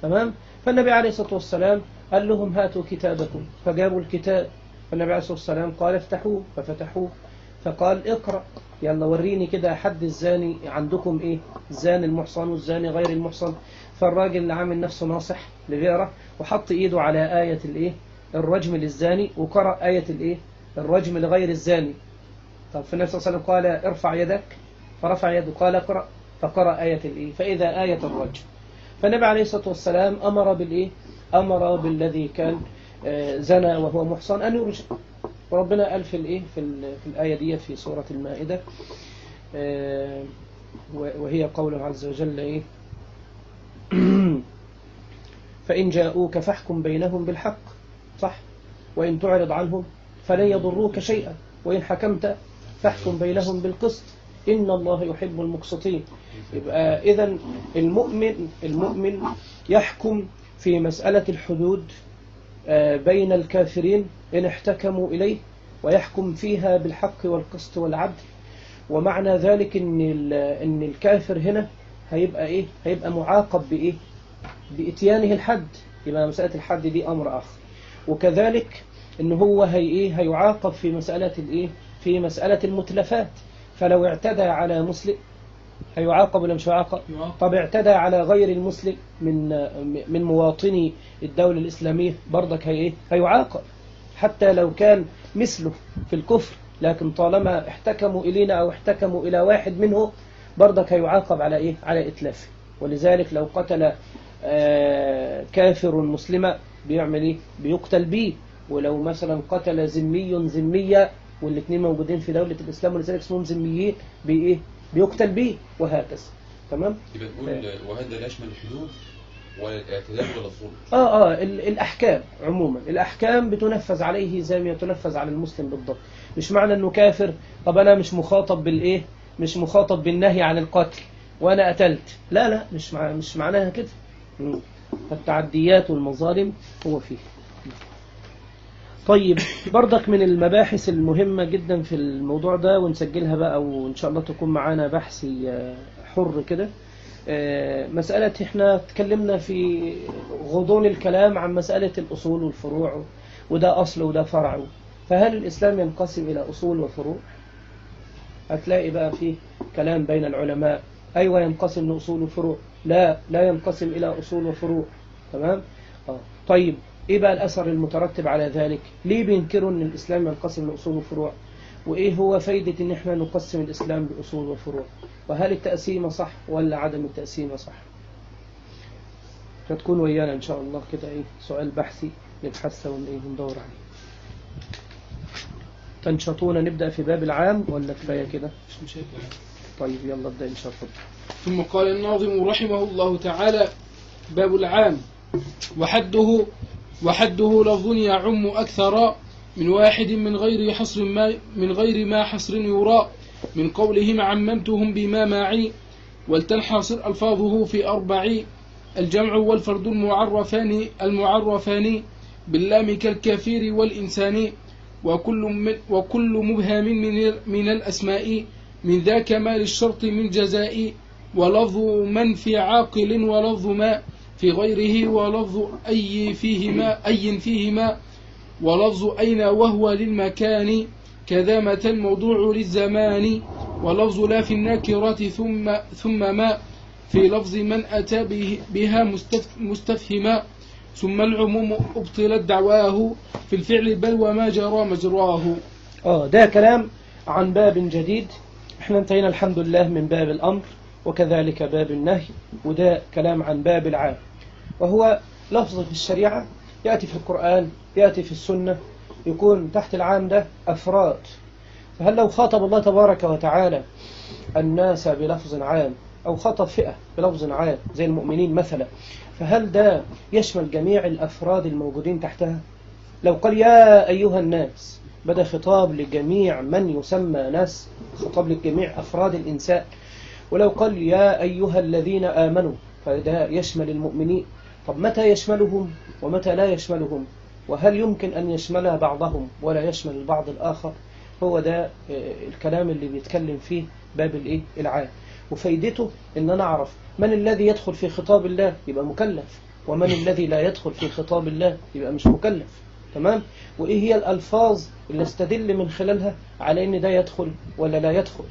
S1: تمام؟ فالنبي عليه الصلاة والسلام قال لهم هاتوا كتابكم، فجابوا الكتاب، فالنبي عليه الصلاة والسلام قال افتحوه، ففتحوه، فقال اقرأ، يلا وريني كده حد الزاني عندكم ايه، الزاني المحصن والزاني غير المحصن. فالراجل اللي عامل نفسه ناصح لغيره وحط ايده على آية الايه الرجم للزاني، وقرأ آية الايه الرجم لغير الزاني. طب فالنبي صلى الله عليه وسلم قال ارفع يدك، فرفع يده، قال اقرأ، فقرأ آية الايه فإذا آية الرجم. فالنبي عليه الصلاة والسلام أمر بالإيه؟ أمر بالذي كان زنى وهو محصن أن يرجم. وربنا قال في الإيه في, في الآية دي في سورة المائدة، وهي قوله عز وجل إيه فإن جاءوك فاحكم بينهم بالحق، صح؟ وإن تعرض عنهم فلن يضروك شيئا، وإن حكمت فاحكم بينهم بالقسط إن الله يحب المقسطين. يبقى إذن المؤمن المؤمن يحكم في مسألة الحدود بين الكافرين إن احتكموا إليه، ويحكم فيها بالحق والقسط والعدل. ومعنى ذلك إن إن الكافر هنا هيبقى إيه؟ هيبقى معاقب بإيه؟ بإتيانه الحد. يبقى مسألة الحد دي أمر آخر. وكذلك إن هو هي إيه؟ هيعاقب في مسألة الإيه؟ في مسألة المتلفات. فلو اعتدى على مسلم هيعاقب ولا مش هيعاقب؟ طب اعتدى على غير المسلم من من مواطني الدولة الإسلامية برضك هي إيه؟ هيعاقب حتى لو كان مثله في الكفر، لكن طالما احتكموا إلينا أو احتكموا إلى واحد منه برضك هيعاقب على إيه؟ على إتلافه. ولذلك لو قتل كافر مسلما بيعمل إيه؟ بيقتل بيه. ولو مثلا قتل ذمي ذمية والاثنين موجودين في دولة الإسلام ولذلك اسمهم ذميين بإيه؟ بيقتل بيه، وهكذا. تمام؟
S3: يبقى نقول وهذا لا يشمل الحدود ولا الاعتداء ولا الظلم.
S1: اه اه الأحكام عموما، الأحكام بتنفذ عليه زي ما تنفذ على المسلم بالضبط. مش معنى إنه كافر طب أنا مش مخاطب بالإيه؟ مش مخاطب بالنهي عن القتل وأنا قتلت. لا لا مش مع مش معناها كده. التعديات والمظالم هو فيه. طيب برضك من المباحث المهمة جدا في الموضوع ده ونسجلها بقى وإن شاء الله تكون معانا بحثي حر كده، مسألة احنا تكلمنا في غضون الكلام عن مسألة الأصول والفروع، وده أصل وده فرع. فهل الإسلام ينقسم إلى أصول وفروع؟ هتلاقي بقى فيه كلام بين العلماء، أيوة ينقسم لأصول وفروع، لا لا ينقسم إلى أصول وفروع. تمام؟ آه. طيب إيه بقى الأثر المترتب على ذلك؟ ليه بينكروا أن الإسلام ينقسم لأصول وفروع؟ وإيه هو فايدة أن احنا نقسم الإسلام بأصول وفروع؟ وهل التقسيمة صح ولا عدم التقسيمة صح؟ فتكون ويانا إن شاء الله كده إيه سؤال بحثي نبحثه وندور عليه. تنشطون نبدأ في باب العام ولا كفاية كده؟ طيب يلا ابدأ إن شاء الله.
S2: ثم قال الناظم رحمه الله تعالى: باب العام وحده وحده لفظ يعم أكثر من واحد من غير حصر ما من غير ما حصر يرى من قولهم عممتهم بما معي ولتنحصر ألفاظه في أربع: الجمع والفرد المعرفان المعرفان باللام كالكافر والإنسان وكل من وكل مبهم من من الأسماء من ذا كمال الشرط من جزاء ولفظ من في عاقل ولفظ ما في غيره ولفظ أي فيهما أي فيهما ولفظ أين وهو للمكان كذا متى الموضوع للزمان ولفظ لا في الناكرات ثم ثم ما في لفظ من أتى به بها مستفهما ثم العموم أبطلت دعواه في الفعل بل وما جرى مجراه.
S1: آه ده كلام عن باب جديد. احنا انتهينا الحمد لله من باب الأمر وكذلك باب النهي، وده كلام عن باب العام، وهو لفظ في الشريعة يأتي في القرآن يأتي في السنة يكون تحت العام ده أفراد. فهل لو خاطب الله تبارك وتعالى الناس بلفظ عام أو خاطب فئة بلفظ عام زي المؤمنين مثلا، فهل ده يشمل جميع الأفراد الموجودين تحتها؟ لو قال يا أيها الناس بدأ خطاب لجميع من يسمى ناس، خطاب لجميع أفراد الإنسان. ولو قال يا أيها الذين آمنوا فده يشمل المؤمنين. طب متى يشملهم ومتى لا يشملهم، وهل يمكن أن يشمل بعضهم ولا يشمل البعض الآخر؟ هو ده الكلام اللي بيتكلم فيه باب الإيه العام. وفايدته إن أنا أعرف من الذي يدخل في خطاب الله يبقى مكلف، ومن الذي لا يدخل في خطاب الله يبقى مش مكلف. تمام؟ وإيه هي الألفاظ اللي استدل من خلالها على إن ده يدخل ولا لا يدخل،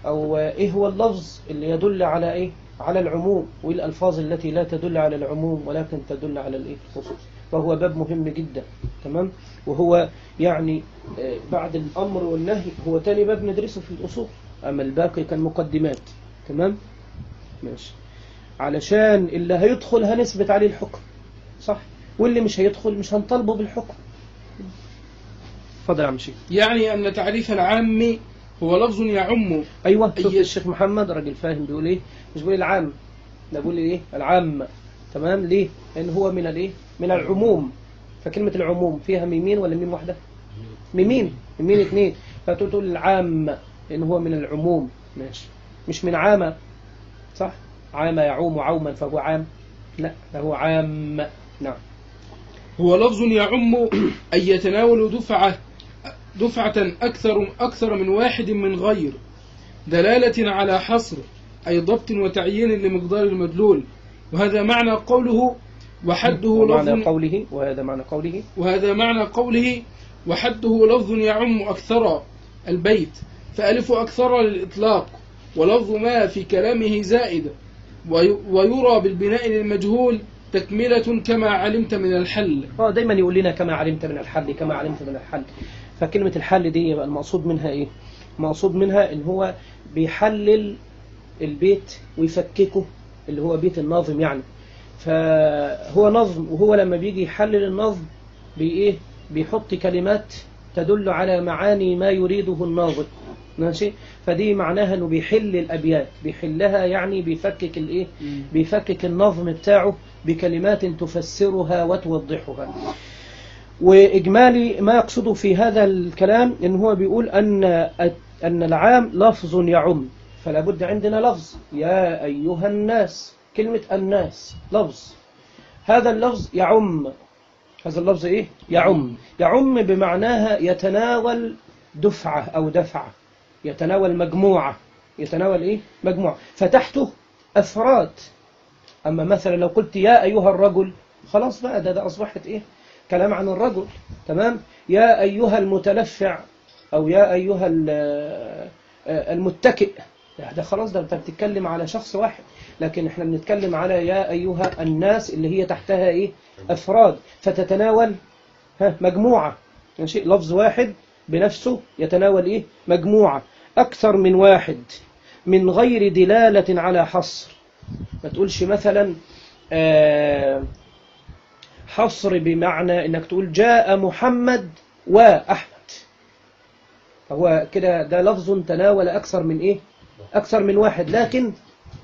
S1: أو إيه هو اللفظ اللي يدل على إيه على العموم، وإيه الألفاظ التي لا تدل على العموم ولكن تدل على الإيه الخصوص. فهو باب مهم جدا. تمام؟ وهو يعني بعد الأمر والنهي هو تاني باب ندرسه في الأصول، أما الباقي كان مقدمات. تمام؟ ماشي. علشان اللي هيدخل هنثبت عليه الحكم، صح؟ واللي مش هيدخل مش هنطالبه بالحكم. اتفضل يا عم شيخ.
S2: يعني أن تعريف العام هو لفظ يعم.
S1: أيوة، شوف
S2: أي...
S1: الشيخ محمد راجل فاهم بيقول إيه، مش بيقول العام، ده بيقول إيه العام. تمام؟ ليه؟ لأن هو من الإيه من العموم. فكلمة العموم فيها ميمين ولا ميم واحدة؟ ميمين، ميمين اثنين. فتقول تقول العام لأن هو من العموم. ماشي. مش من عامة، صح؟ عام يعوم عوما فهو عام، لا فهو عام. نعم.
S2: هو لفظ يعم أي يتناول دفعة دفعة أكثر أكثر من واحد من غير دلالة على حصر، أي ضبط وتعيين لمقدار المدلول. وهذا معنى قوله وحده لفظ
S1: معنى قوله وهذا معنى قوله
S2: وهذا معنى قوله وحده لفظ يعم أكثر البيت، فألف أكثر للإطلاق، ولفظ ما في كلامه زائد، ويرى بالبناء للمجهول تكملة كما علمت من الحل.
S1: اه دايما يقول لنا كما علمت من الحل، كما علمت من الحل. فكلمة الحل دي يبقى المقصود منها ايه؟ المقصود منها ان هو بيحلل البيت ويفككه، اللي هو بيت الناظم يعني. فهو نظم، وهو لما بيجي يحلل النظم بإيه بيحط كلمات تدل على معاني ما يريده الناظم. ماشي؟ فدي معناها انه بيحل الابيات، بيحلها يعني بيفكك الايه بيفكك النظم بتاعه بكلمات تفسرها وتوضحها. واجمالي ما يقصده في هذا الكلام ان هو بيقول ان ان العام لفظ يعم، فلا بد عندنا لفظ يا ايها الناس. كلمة الناس لفظ، هذا اللفظ يعم، هذا اللفظ ايه يعم يعم بمعناها يتناول دفعة او دفعة، يتناول مجموعة، يتناول ايه مجموعة، فتحته افراد. اما مثلا لو قلت يا ايها الرجل خلاص بقى ده, ده اصبحت ايه كلام عن الرجل. تمام؟ يا ايها المتلفع او يا ايها المتكئ، ده خلاص ده انت بتتكلم على شخص واحد. لكن احنا بنتكلم على يا ايها الناس اللي هي تحتها ايه افراد، فتتناول ها مجموعة. ماشي؟ لفظ واحد بنفسه يتناول ايه مجموعة اكثر من واحد من غير دلالة على حصر. ما تقولش مثلا آه حصر بمعنى انك تقول جاء محمد واحمد، هو كده ده لفظ تناول اكثر من ايه اكثر من واحد، لكن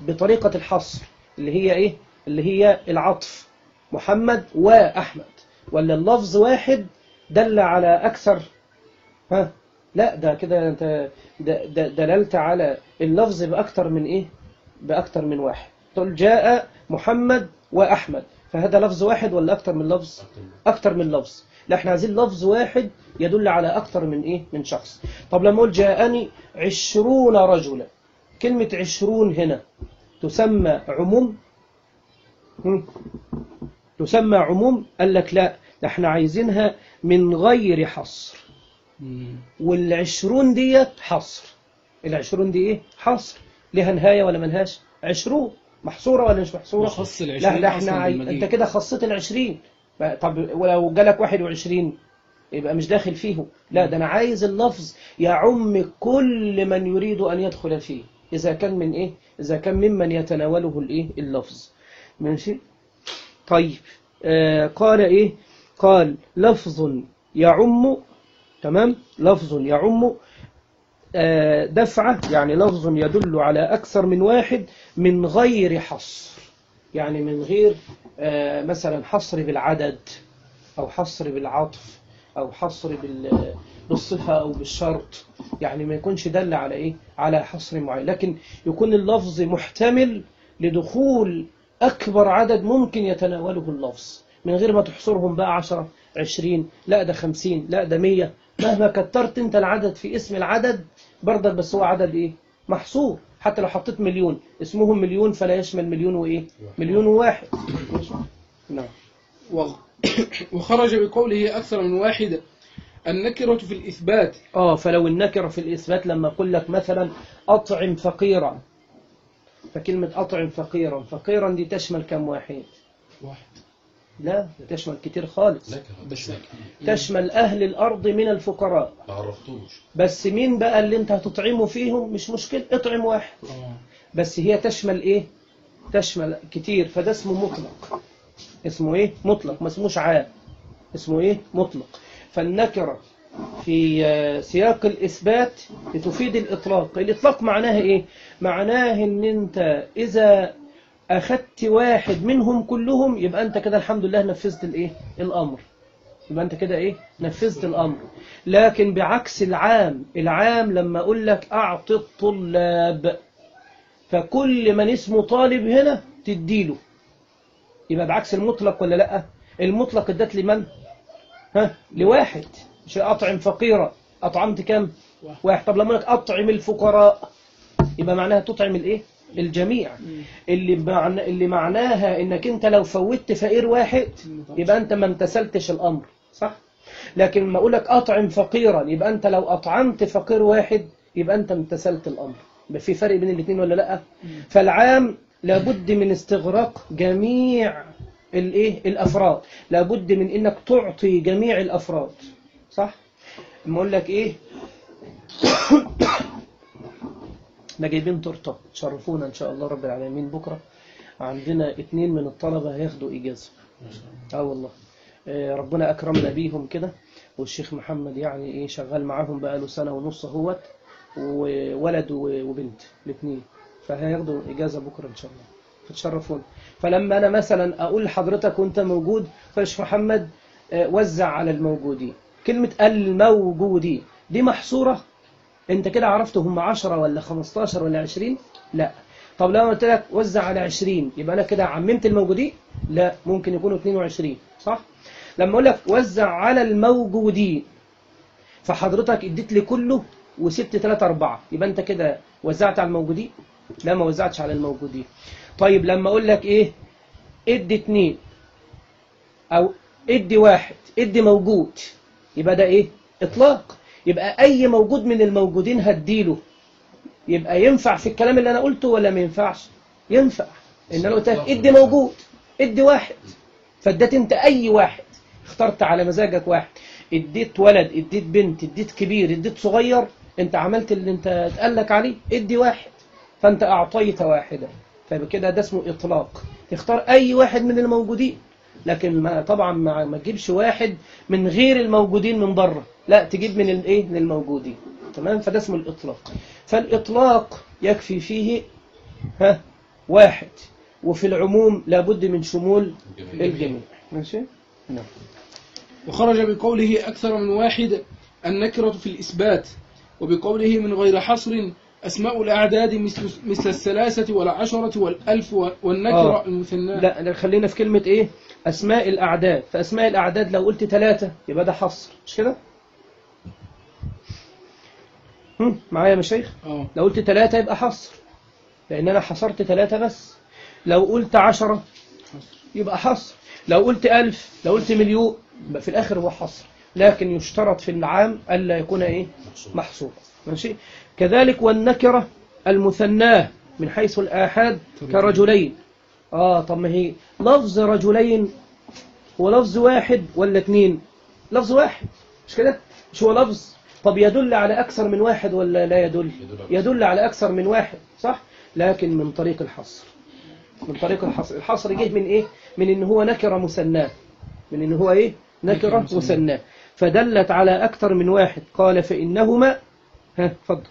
S1: بطريقة الحصر اللي هي ايه اللي هي العطف، محمد واحمد. ولا اللفظ واحد دل على اكثر، ها لا ده كده انت دللت على اللفظ باكثر من ايه باكثر من واحد. تقول جاء محمد واحمد، فهذا لفظ واحد ولا اكثر من لفظ اكثر من لفظ. لا احنا عايزين لفظ واحد يدل على اكثر من ايه من شخص. طب لما اقول جاءني عشرون رجلا، كلمة عشرون هنا تسمى عموم؟ تسمى عموم؟ قال لك لا، ده احنا عايزينها من غير حصر. والعشرون ديت حصر. العشرون دي ايه حصر، لها نهاية ولا منهاش؟ عشرون محصورة ولا مش محصورة؟
S2: خص العشرين.
S1: لا ده احنا عاي... انت كده خصيت العشرين. طب ولو جالك واحد وعشرين يبقى مش داخل فيه. لا ده انا عايز اللفظ يعم كل من يريد ان يدخل فيه، اذا كان من ايه اذا كان ممن يتناوله الايه اللفظ. ماشي؟ طيب آه قال ايه قال لفظ يعم. تمام؟ لفظ يعم آه دفعة، يعني لفظ يدل على أكثر من واحد من غير حصر، يعني من غير آه مثلا حصر بالعدد أو حصر بالعطف أو حصر بالصفة أو بالشرط، يعني ما يكونش دل على إيه على حصر معين، لكن يكون اللفظ محتمل لدخول أكبر عدد ممكن يتناوله اللفظ من غير ما تحصرهم بقى عشرة عشرين، لا ده خمسين، لا ده مية. مهما كترت انت العدد في اسم العدد برضك، بس هو عدد ايه محصور. حتى لو حطيت مليون اسمهم مليون فلا يشمل مليون وايه مليون وواحد. نعم.
S2: وخرج بقوله أكثر من واحد النكرة في الإثبات.
S1: اه فلو النكرة في الإثبات لما أقول لك مثلا أطعم فقيرا، فكلمة أطعم فقيرا، فقيرا دي تشمل كم واحد؟
S2: واحد.
S1: لا تشمل كتير خالص،
S3: بس
S1: تشمل أهل الأرض من الفقراء.
S3: ما عرفتوش.
S1: بس مين بقى اللي انت هتطعمه فيهم؟ مش مشكلة، اطعم واحد. بس هي تشمل ايه؟ تشمل كتير، فده اسمه مطلق. اسمه ايه؟ مطلق، ما اسموش عام، اسمه ايه؟ مطلق. فالنكرة في سياق الإثبات بتفيد الإطلاق. الإطلاق معناها إيه؟ معناه إن أنت إذا أخذت واحد منهم كلهم يبقى أنت كده الحمد لله نفذت الإيه؟ الأمر. يبقى أنت كده إيه؟ نفذت الأمر. لكن بعكس العام، العام لما أقول لك أعطي الطلاب، فكل من اسمه طالب هنا تديله، يبقى بعكس المطلق ولا لأ؟ المطلق ادت لمن؟ ها؟ لواحد. مش أطعم فقيرا، أطعمت كم؟ واحد. طب لما لك أطعم الفقراء يبقى معناها تطعم الإيه؟ الجميع. اللي, معنى اللي معناها إنك أنت لو فوتت فقير واحد يبقى أنت ما امتثلتش الأمر، صح؟ لكن لما أقول لك أطعم فقيرا يبقى أنت لو أطعمت فقير واحد يبقى أنت امتثلت الأمر. يبقى في فرق بين الاثنين ولا لأ؟ فالعام لابد من استغراق جميع الايه الافراد، لابد من انك تعطي جميع الافراد، صح؟ اما اقول لك ايه احنا جايبين تورته تشرفونا ان شاء الله رب العالمين. بكره عندنا اتنين من الطلبه هياخدوا اجازه. اه والله آه ربنا اكرمنا بيهم كده، والشيخ محمد يعني ايه شغال معاهم بقاله سنه ونص اهوت، وولد وبنت الاثنين، فهياخدوا اجازه بكره ان شاء الله، فتشرفون. فلما أنا مثلا أقول لحضرتك وأنت موجود فالشيخ محمد وزع على الموجودين، كلمة الموجودين دي محصورة، أنت كده عرفت هم عشرة ولا خمستاشر ولا عشرين؟ لا. طب لو قلت لك وزع على عشرين يبقى أنا كده عممت الموجودين؟ لا، ممكن يكونوا اثنين وعشرين، صح؟ لما أقول لك وزع على الموجودين فحضرتك اديت لي كله وسبت ثلاثة أربعة، يبقى أنت كده وزعت على الموجودين؟ لا، ما وزعتش على الموجودين. طيب لما أقول لك إيه ادي اتنين أو ادي واحد، ادي موجود، يبقى ده إيه إطلاق. يبقى أي موجود من الموجودين هديله، يبقى ينفع في الكلام اللي أنا قلته ولا ما ينفعش؟ ينفع. إن أنا قلت لك ادي موجود، ادي واحد، فاديت أنت أي واحد، اخترت على مزاجك واحد، اديت ولد، اديت بنت، اديت كبير، اديت صغير، أنت عملت اللي أنت اتقالك عليه، ادي واحد، فأنت أعطيت واحدا، فبكده ده اسمه إطلاق. تختار أي واحد من الموجودين، لكن ما طبعا ما, ما تجيبش واحد من غير الموجودين من بره، لا تجيب من الايه من الموجودين، تمام؟ فده اسمه الإطلاق. فالإطلاق يكفي فيه ها واحد، وفي العموم لابد من شمول الجميع. ماشي؟ نعم.
S2: وخرج بقوله أكثر من واحد النكرة في الإثبات، وبقوله من غير حصر أسماء الأعداد مثل مثل الثلاثة والعشرة والألف والنكرة آه. المثنى.
S1: لا خلينا في كلمة إيه؟ أسماء الأعداد. فأسماء الأعداد لو قلت ثلاثة يبقى ده حصر، مش كده؟ معايا يا مشايخ؟
S2: آه.
S1: لو قلت ثلاثة يبقى حصر، لأن أنا حصرت ثلاثة بس. لو قلت عشرة يبقى حصر. لو قلت ألف، لو قلت مليون، يبقى في الآخر هو حصر. لكن يشترط في العام ألا يكون إيه؟ محصور. ماشي؟ كذلك والنكرة المثناه من حيث الآحاد كرجلين. آه طب ما هي لفظ رجلين هو لفظ واحد ولا اثنين؟ لفظ واحد، مش كده؟ مش هو لفظ؟ طب يدل على أكثر من واحد ولا لا يدل؟ يدل على أكثر من واحد، صح؟ لكن من طريق الحصر. من طريق الحصر. الحصر جه من إيه؟ من إن هو نكرة مثناه. من إن هو إيه؟ نكرة مثناه. فدلت على أكثر من واحد. قال فإنهما ها فضل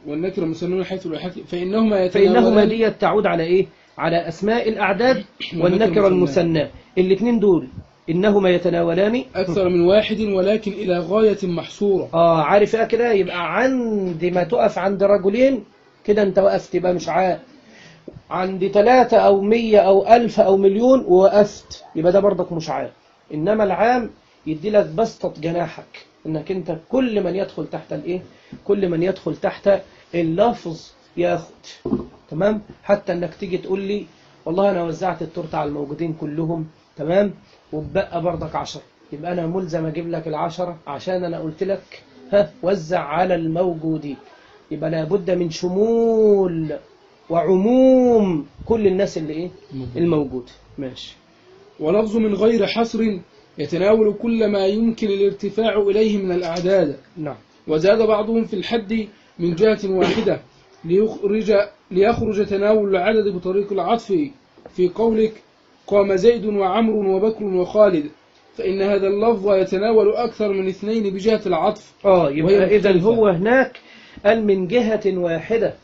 S2: والنكرة مثنون حيث الآحاد فإنهما
S1: فإنهما دي تعود على إيه؟ على أسماء الأعداد والنكرة المثناه. الاثنين دول إنهما يتناولان
S2: أكثر من واحد ولكن إلى غاية محصورة.
S1: آه عارف إيه كده؟ يبقى عند ما تقف عند رجلين كده أنت وقفت، يبقى مش عاد. عند ثلاثة أو مية أو ألف أو مليون ووقفت، يبقى ده برضك مش عام. إنما العام يدي لك بسطة جناحك، إنك أنت كل من يدخل تحت الإيه؟ كل من يدخل تحت اللفظ ياخد. تمام؟ حتى إنك تيجي تقول لي والله أنا وزعت التورته على الموجودين كلهم، تمام؟ وبقى برضك عشرة، يبقى أنا ملزم أجيب لك العشرة عشان أنا قلت لك ها وزع على الموجودين. يبقى لابد من شمول وعموم كل الناس اللي إيه؟ الموجود. ماشي.
S2: ولفظ من غير حصر يتناول كل ما يمكن الارتفاع إليه من الأعداد.
S1: نعم.
S2: وزاد بعضهم في الحد من جهة واحدة ليخرج, ليخرج تناول العدد بطريق العطف في قولك قام زيد وعمر وبكر وخالد، فإن هذا اللفظ يتناول أكثر من اثنين بجهة العطف.
S1: آه يبقى إذن هو هناك قال من جهة واحدة.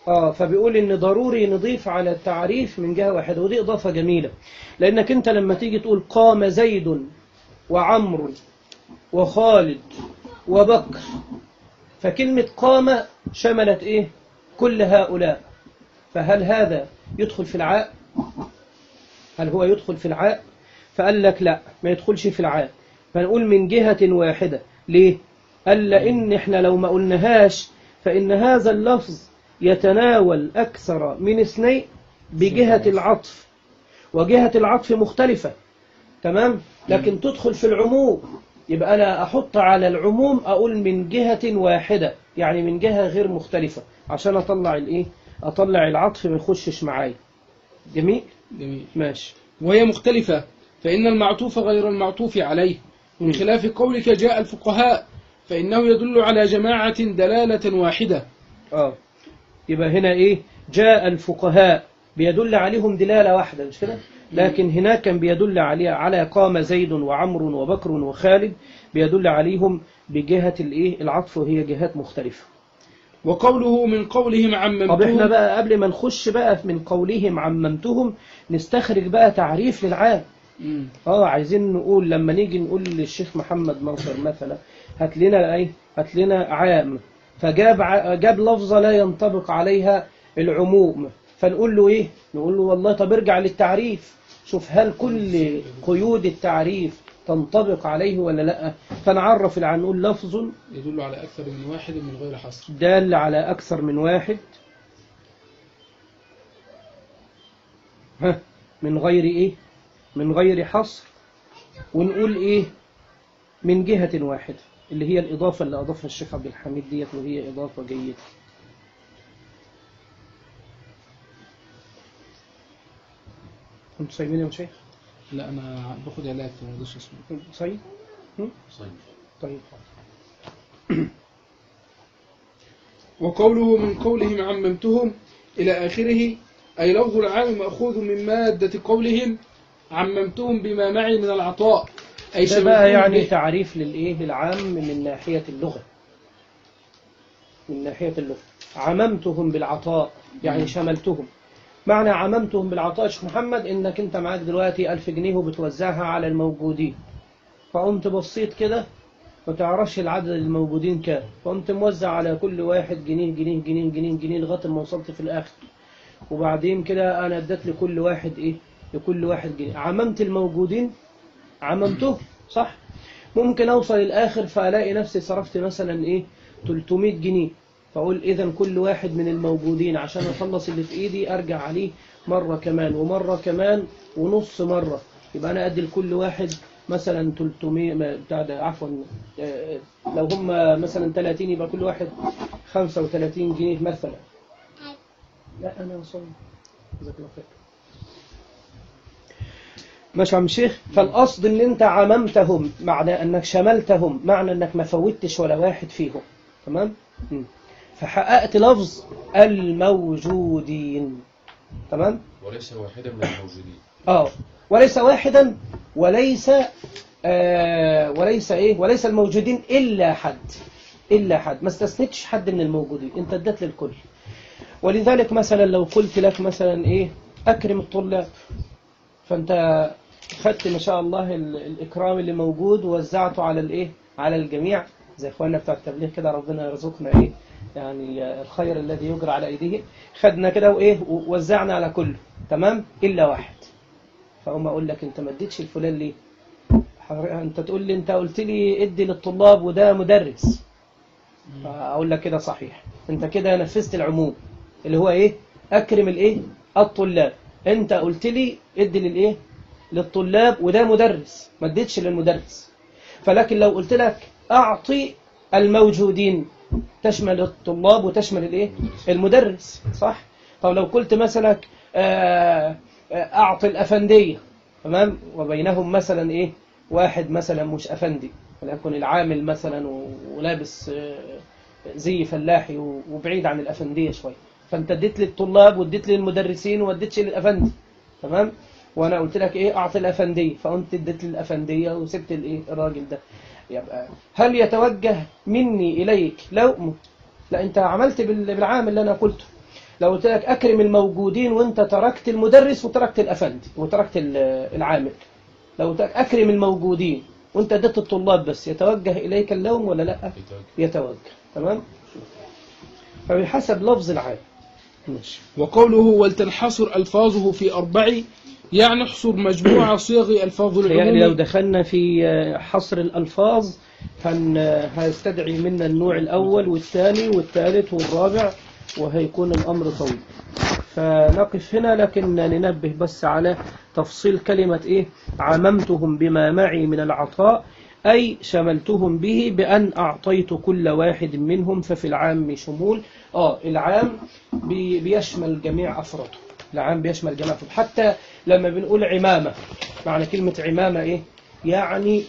S1: آه فبيقول إن ضروري نضيف على التعريف من جهة واحدة، ودي إضافة جميلة، لأنك أنت لما تيجي تقول قام زيد وعمر وخالد وبكر، فكلمة قام شملت إيه؟ كل هؤلاء. فهل هذا يدخل في العاء؟ هل هو يدخل في العاء؟ فقال لك لا، ما يدخلش في العاء، فنقول من جهة واحدة. ليه؟ قال لأن إحنا لو ما قلناهاش فإن هذا اللفظ يتناول أكثر من اثنين بجهة العطف، وجهة العطف مختلفة. تمام؟ لكن تدخل في العموم، يبقى أنا أحط على العموم أقول من جهة واحدة، يعني من جهة غير مختلفة، عشان أطلع الإيه؟ أطلع العطف ما يخشش معايا. جميل؟
S2: جميل.
S1: ماشي.
S2: وهي مختلفة، فإن المعطوف غير المعطوف عليه، من خلاف قولك جاء الفقهاء، فإنه يدل على جماعة دلالة واحدة.
S1: آه يبقى هنا إيه؟ جاء الفقهاء بيدل عليهم دلالة واحدة، مش كده؟ لكن هناك كان بيدل عليه على قام زيد وعمر وبكر وخالد، بيدل عليهم بجهة الإيه؟ العطف، وهي جهات مختلفة.
S2: وقوله من قولهم عممتهم.
S1: طب احنا بقى قبل ما نخش بقى من قولهم عممتهم نستخرج بقى تعريف للعام.
S2: مم.
S1: اه عايزين نقول لما نيجي نقول للشيخ محمد ناصر مثلا هات لنا ايه؟ هات لنا عام، فجاب ع... جاب لفظة لا ينطبق عليها العموم، فنقول له ايه؟ نقول له والله طب ارجع للتعريف شوف هل كل قيود التعريف تنطبق عليه ولا لا. فنعرف العام نقول لفظ
S2: يدل على أكثر من واحد من غير حصر،
S1: دال على أكثر من واحد ها من غير إيه؟ من غير حصر. ونقول إيه؟ من جهة واحدة، اللي هي الإضافة اللي أضافها الشيخ عبد الحميد ديت، وهي إضافة جيدة. أنتوا صايمين يا شيخ؟
S2: لا أنا باخد علاج في موضوع اسمه
S1: صايم؟
S3: صيد.
S1: طيب.
S2: وقوله من قولهم عممتهم إلى آخره، أي لفظ العام مأخوذ من مادة قولهم عممتهم بما معي من العطاء، أي
S1: ده بقى يعني تعريف للإيه؟ للعام من ناحية اللغة، من ناحية اللغة عممتهم بالعطاء يعني شملتهم. معنى عممتهم بالعطاء يا شيخ محمد إنك أنت معاك دلوقتي ألف جنيه وبتوزعها على الموجودين، فقمت بصيت كده ما تعرفش العدد الموجودين كام، فقمت موزع على كل واحد جنيه جنيه جنيه جنيه جنيه لغاية ما وصلت في الآخر، وبعدين كده أنا اديت لكل واحد إيه؟ لكل واحد جنيه. عممت الموجودين، عممته صح. ممكن أوصل الآخر فألاقي نفسي صرفت مثلا إيه؟ ثلاثمائة جنيه، فأقول إذا كل واحد من الموجودين عشان أخلص اللي في إيدي أرجع عليه مرة كمان ومرة كمان ونص مرة، يبقى أنا أدي لكل واحد مثلا ثلاثمائة بتاع ده عفوا لو هم مثلا ثلاثين يبقى كل واحد خمسة وثلاثين جنيه مثلا. لا أنا صوم جزاك الله خير. ماشي يا عم الشيخ. فالقصد ان انت عممتهم معنى انك شملتهم، معنى انك ما فوتش ولا واحد فيهم. تمام. فحققت لفظ الموجودين. تمام.
S3: وليس واحدا من الموجودين.
S1: اه وليس واحدا وليس آه وليس ايه وليس الموجودين الا حد، الا حد، ما استثنتش حد من الموجودين، انت اديت للكل. ولذلك مثلا لو قلت لك مثلا ايه اكرم الطلاب، فانت خدت ما شاء الله الاكرام اللي موجود ووزعته على الايه على الجميع زي اخواننا بتاع التبليغ كده، ربنا يرزقنا ايه يعني الخير الذي يجرى على ايديه. خدنا كده وايه ووزعنا على كله تمام الا واحد. فاقوم اقول لك انت ما اديتش الفلان ليه؟ انت تقول لي انت قلت لي ادي للطلاب وده مدرس. اقول لك كده صحيح، انت كده نفذت العموم اللي هو ايه اكرم الايه الطلاب. انت قلت لي ادي للايه للطلاب وده مدرس، ما اديتش للمدرس. فلكن لو قلت لك اعطي الموجودين تشمل الطلاب وتشمل الايه المدرس، صح؟ طب لو قلت مثلا اعطي الافنديه تمام، وبينهم مثلا ايه واحد مثلا مش افندي، وليكن العامل مثلا ولابس زي فلاحي وبعيد عن الافنديه شويه، فانت اديت للطلاب واديت للمدرسين واديتش للافندي تمام. وانا قلت لك ايه اعطي الافنديه، فانت اديت للافنديه وسبت الايه الراجل ده. يبقى هل يتوجه مني اليك لوم؟ لا، انت عملت بالعامل اللي انا قلته. لو قلت لك اكرم الموجودين وانت تركت المدرس وتركت الافندي وتركت العامل، لو قلت لك اكرم الموجودين وانت اديت الطلاب بس، يتوجه اليك اللوم ولا لا؟
S3: يتوجه.
S1: يتوجه تمام. فبحسب لفظ العام. ماشي.
S2: وقوله ولتنحصر ألفاظه في أربع، يعني احصر مجموعة صيغ ألفاظ
S1: يعني لو
S2: العموم.
S1: دخلنا في حصر الألفاظ هن هيستدعي منا النوع الأول والثاني والثالث والرابع، وهيكون الأمر طويل. فنقف هنا، لكن ننبه بس على تفصيل كلمة إيه عممتهم بما معي من العطاء، أي شملتهم به بأن أعطيت كل واحد منهم. ففي العام شمول. آه العام بي بيشمل جميع أفراده. العام بيشمل جميع أفراده. حتى لما بنقول عمامة، معنى كلمة عمامة إيه؟ يعني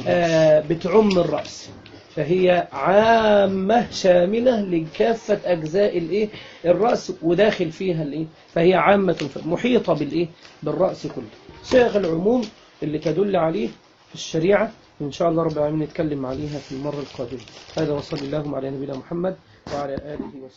S1: آه بتعم الرأس، فهي عامة شاملة لكافة أجزاء الإيه الرأس، وداخل فيها الإيه، فهي عامة محيطة بالإيه بالرأس كله. صيغ العموم اللي تدل عليه في الشريعة إن شاء الله رب العالمين نتكلم عليها في المرة القادمة. هذا وصلى الله على نبينا محمد وعلى آله وصحبه.